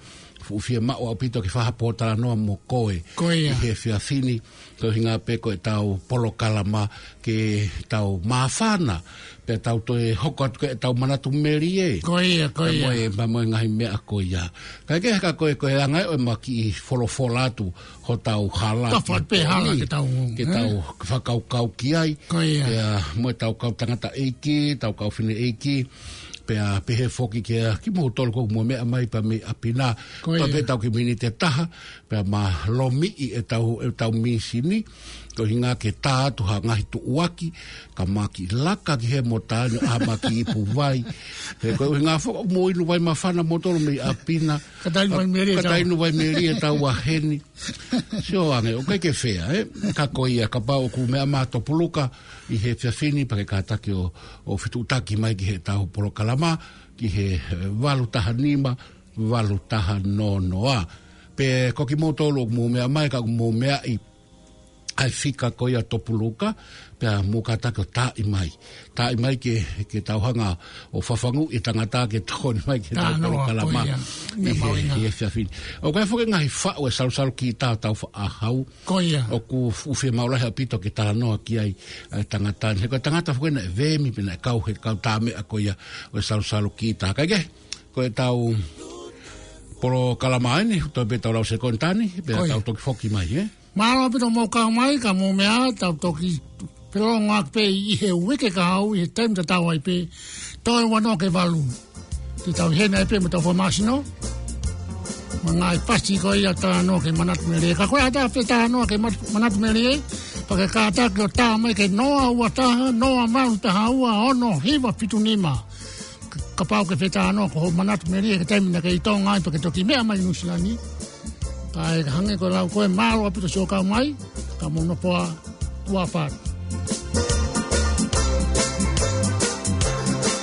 fuʻu fiemaʻu ʻaupito ke fai ha pōtalanoa mo koe. Ko ia. ʻI he efiafi ni, ko e ʻuhinga pē ko ʻetau polokalama ke tau māfana, pea tau toe hoko atu ki heʻetau manatu melie. Ko ia, ko ia. Pea mo e, pea mo e ngaahi meʻa ko ia. Kae kehe ka ko e, ko e anga ē ʻo e ma kiʻi folofola atu hotau hala. Ka fai pē hala ke tau, ke ē? Tau fakakaukau ki ai. Ko ia. Pea mo ʻetau kau tangataʻeiki, tau kau fineʻeiki. Pea pehē foki kia kimoutolu ʻoku mou meʻa mai pea mei ʻapi na. Ko ia. Pea pē tau kiʻi miniti ʻe taha, pea ma lomiʻi ʻetau, ʻetau mīsini, ko e ʻuhinga ke tā atu ha ngaahi tuʻuaki, ka ma kiʻi laka ki hē mo tā eni ʻa ma kiʻi ipu vai. He ko e ʻuhinga foki ʻoku mou inu vai māfana moutolu mei ʻapi na. Ka ta inu vai melie ka ta inu vai melie ʻetau ʻa heni. Sio ange, ʻoku ʻikai ke fea, ē? Ka ko ia, kapau ʻoku meʻa mai Topuluka ʻi he efiafi ni pea ke kātaki ʻo, ʻo fetuʻutaki mai ki heʻetau polokalama, ki he, ē, valu taha nima, valu taha noa noa. Pe ko kimoutolu ʻoku mou meʻa mai, ka ʻoku mou meaʻi ʻa e fika ko ia Topuluka, pea mou kātaki ʻo taaʻi mai. Taaʻi mai ke, ke tau hanga ʻo fafanguʻi e tangata ke tokoni mai ki heʻetau polokalama. Talanoa ko ia. ʻI he, ʻi he efiafi ni. ʻOku ʻi ai foki e ngaahi faʻu e salusalu kita ʻo tau faʻa hau. Ko ia. ʻOku fuʻu fiemaʻu lahi ʻaupito ke talanoa ki ai ʻa e tangata ni. He ko e tangata foki naʻe vemi pea naʻe kau he kau tā meʻa ko ia ʻo e salusalu kita. Kae kehe, ko ʻetau polokalama eni, toe pē ʻetau lau sekontani, pea tau toki foki mai, ē? Mālō ʻaupito mou kau mai, ka mou meʻa, tau toki felongoaki pē ʻi he uike kahaʻu, ʻi he taimi tatau ai pē, toe ua noa ki he valu. Te tau ʻi heni ai pē mo ʻetau fakamāsino. Mo e ngaahi fasi ko ia talanoa ki he manatu melie. Ka ko e ʻatā pē talanoa ki he mat-, manatu melie, pea ke kātaki ʻo tā mai ki he noa ua taha, noa valu taha ua, ono hiva fitu nima. K-, kapau ʻoku ke fetalanoa ko hoʻo manatu melie ki he taimi naʻa ke ʻi Tonga ai pea ke toki meʻa mai Nuʻusila ni. Kae hangē ko e lau ko ē, mālō ʻaupito siʻo kau mai, ka mou nofo ā, tuʻa ʻofa atu.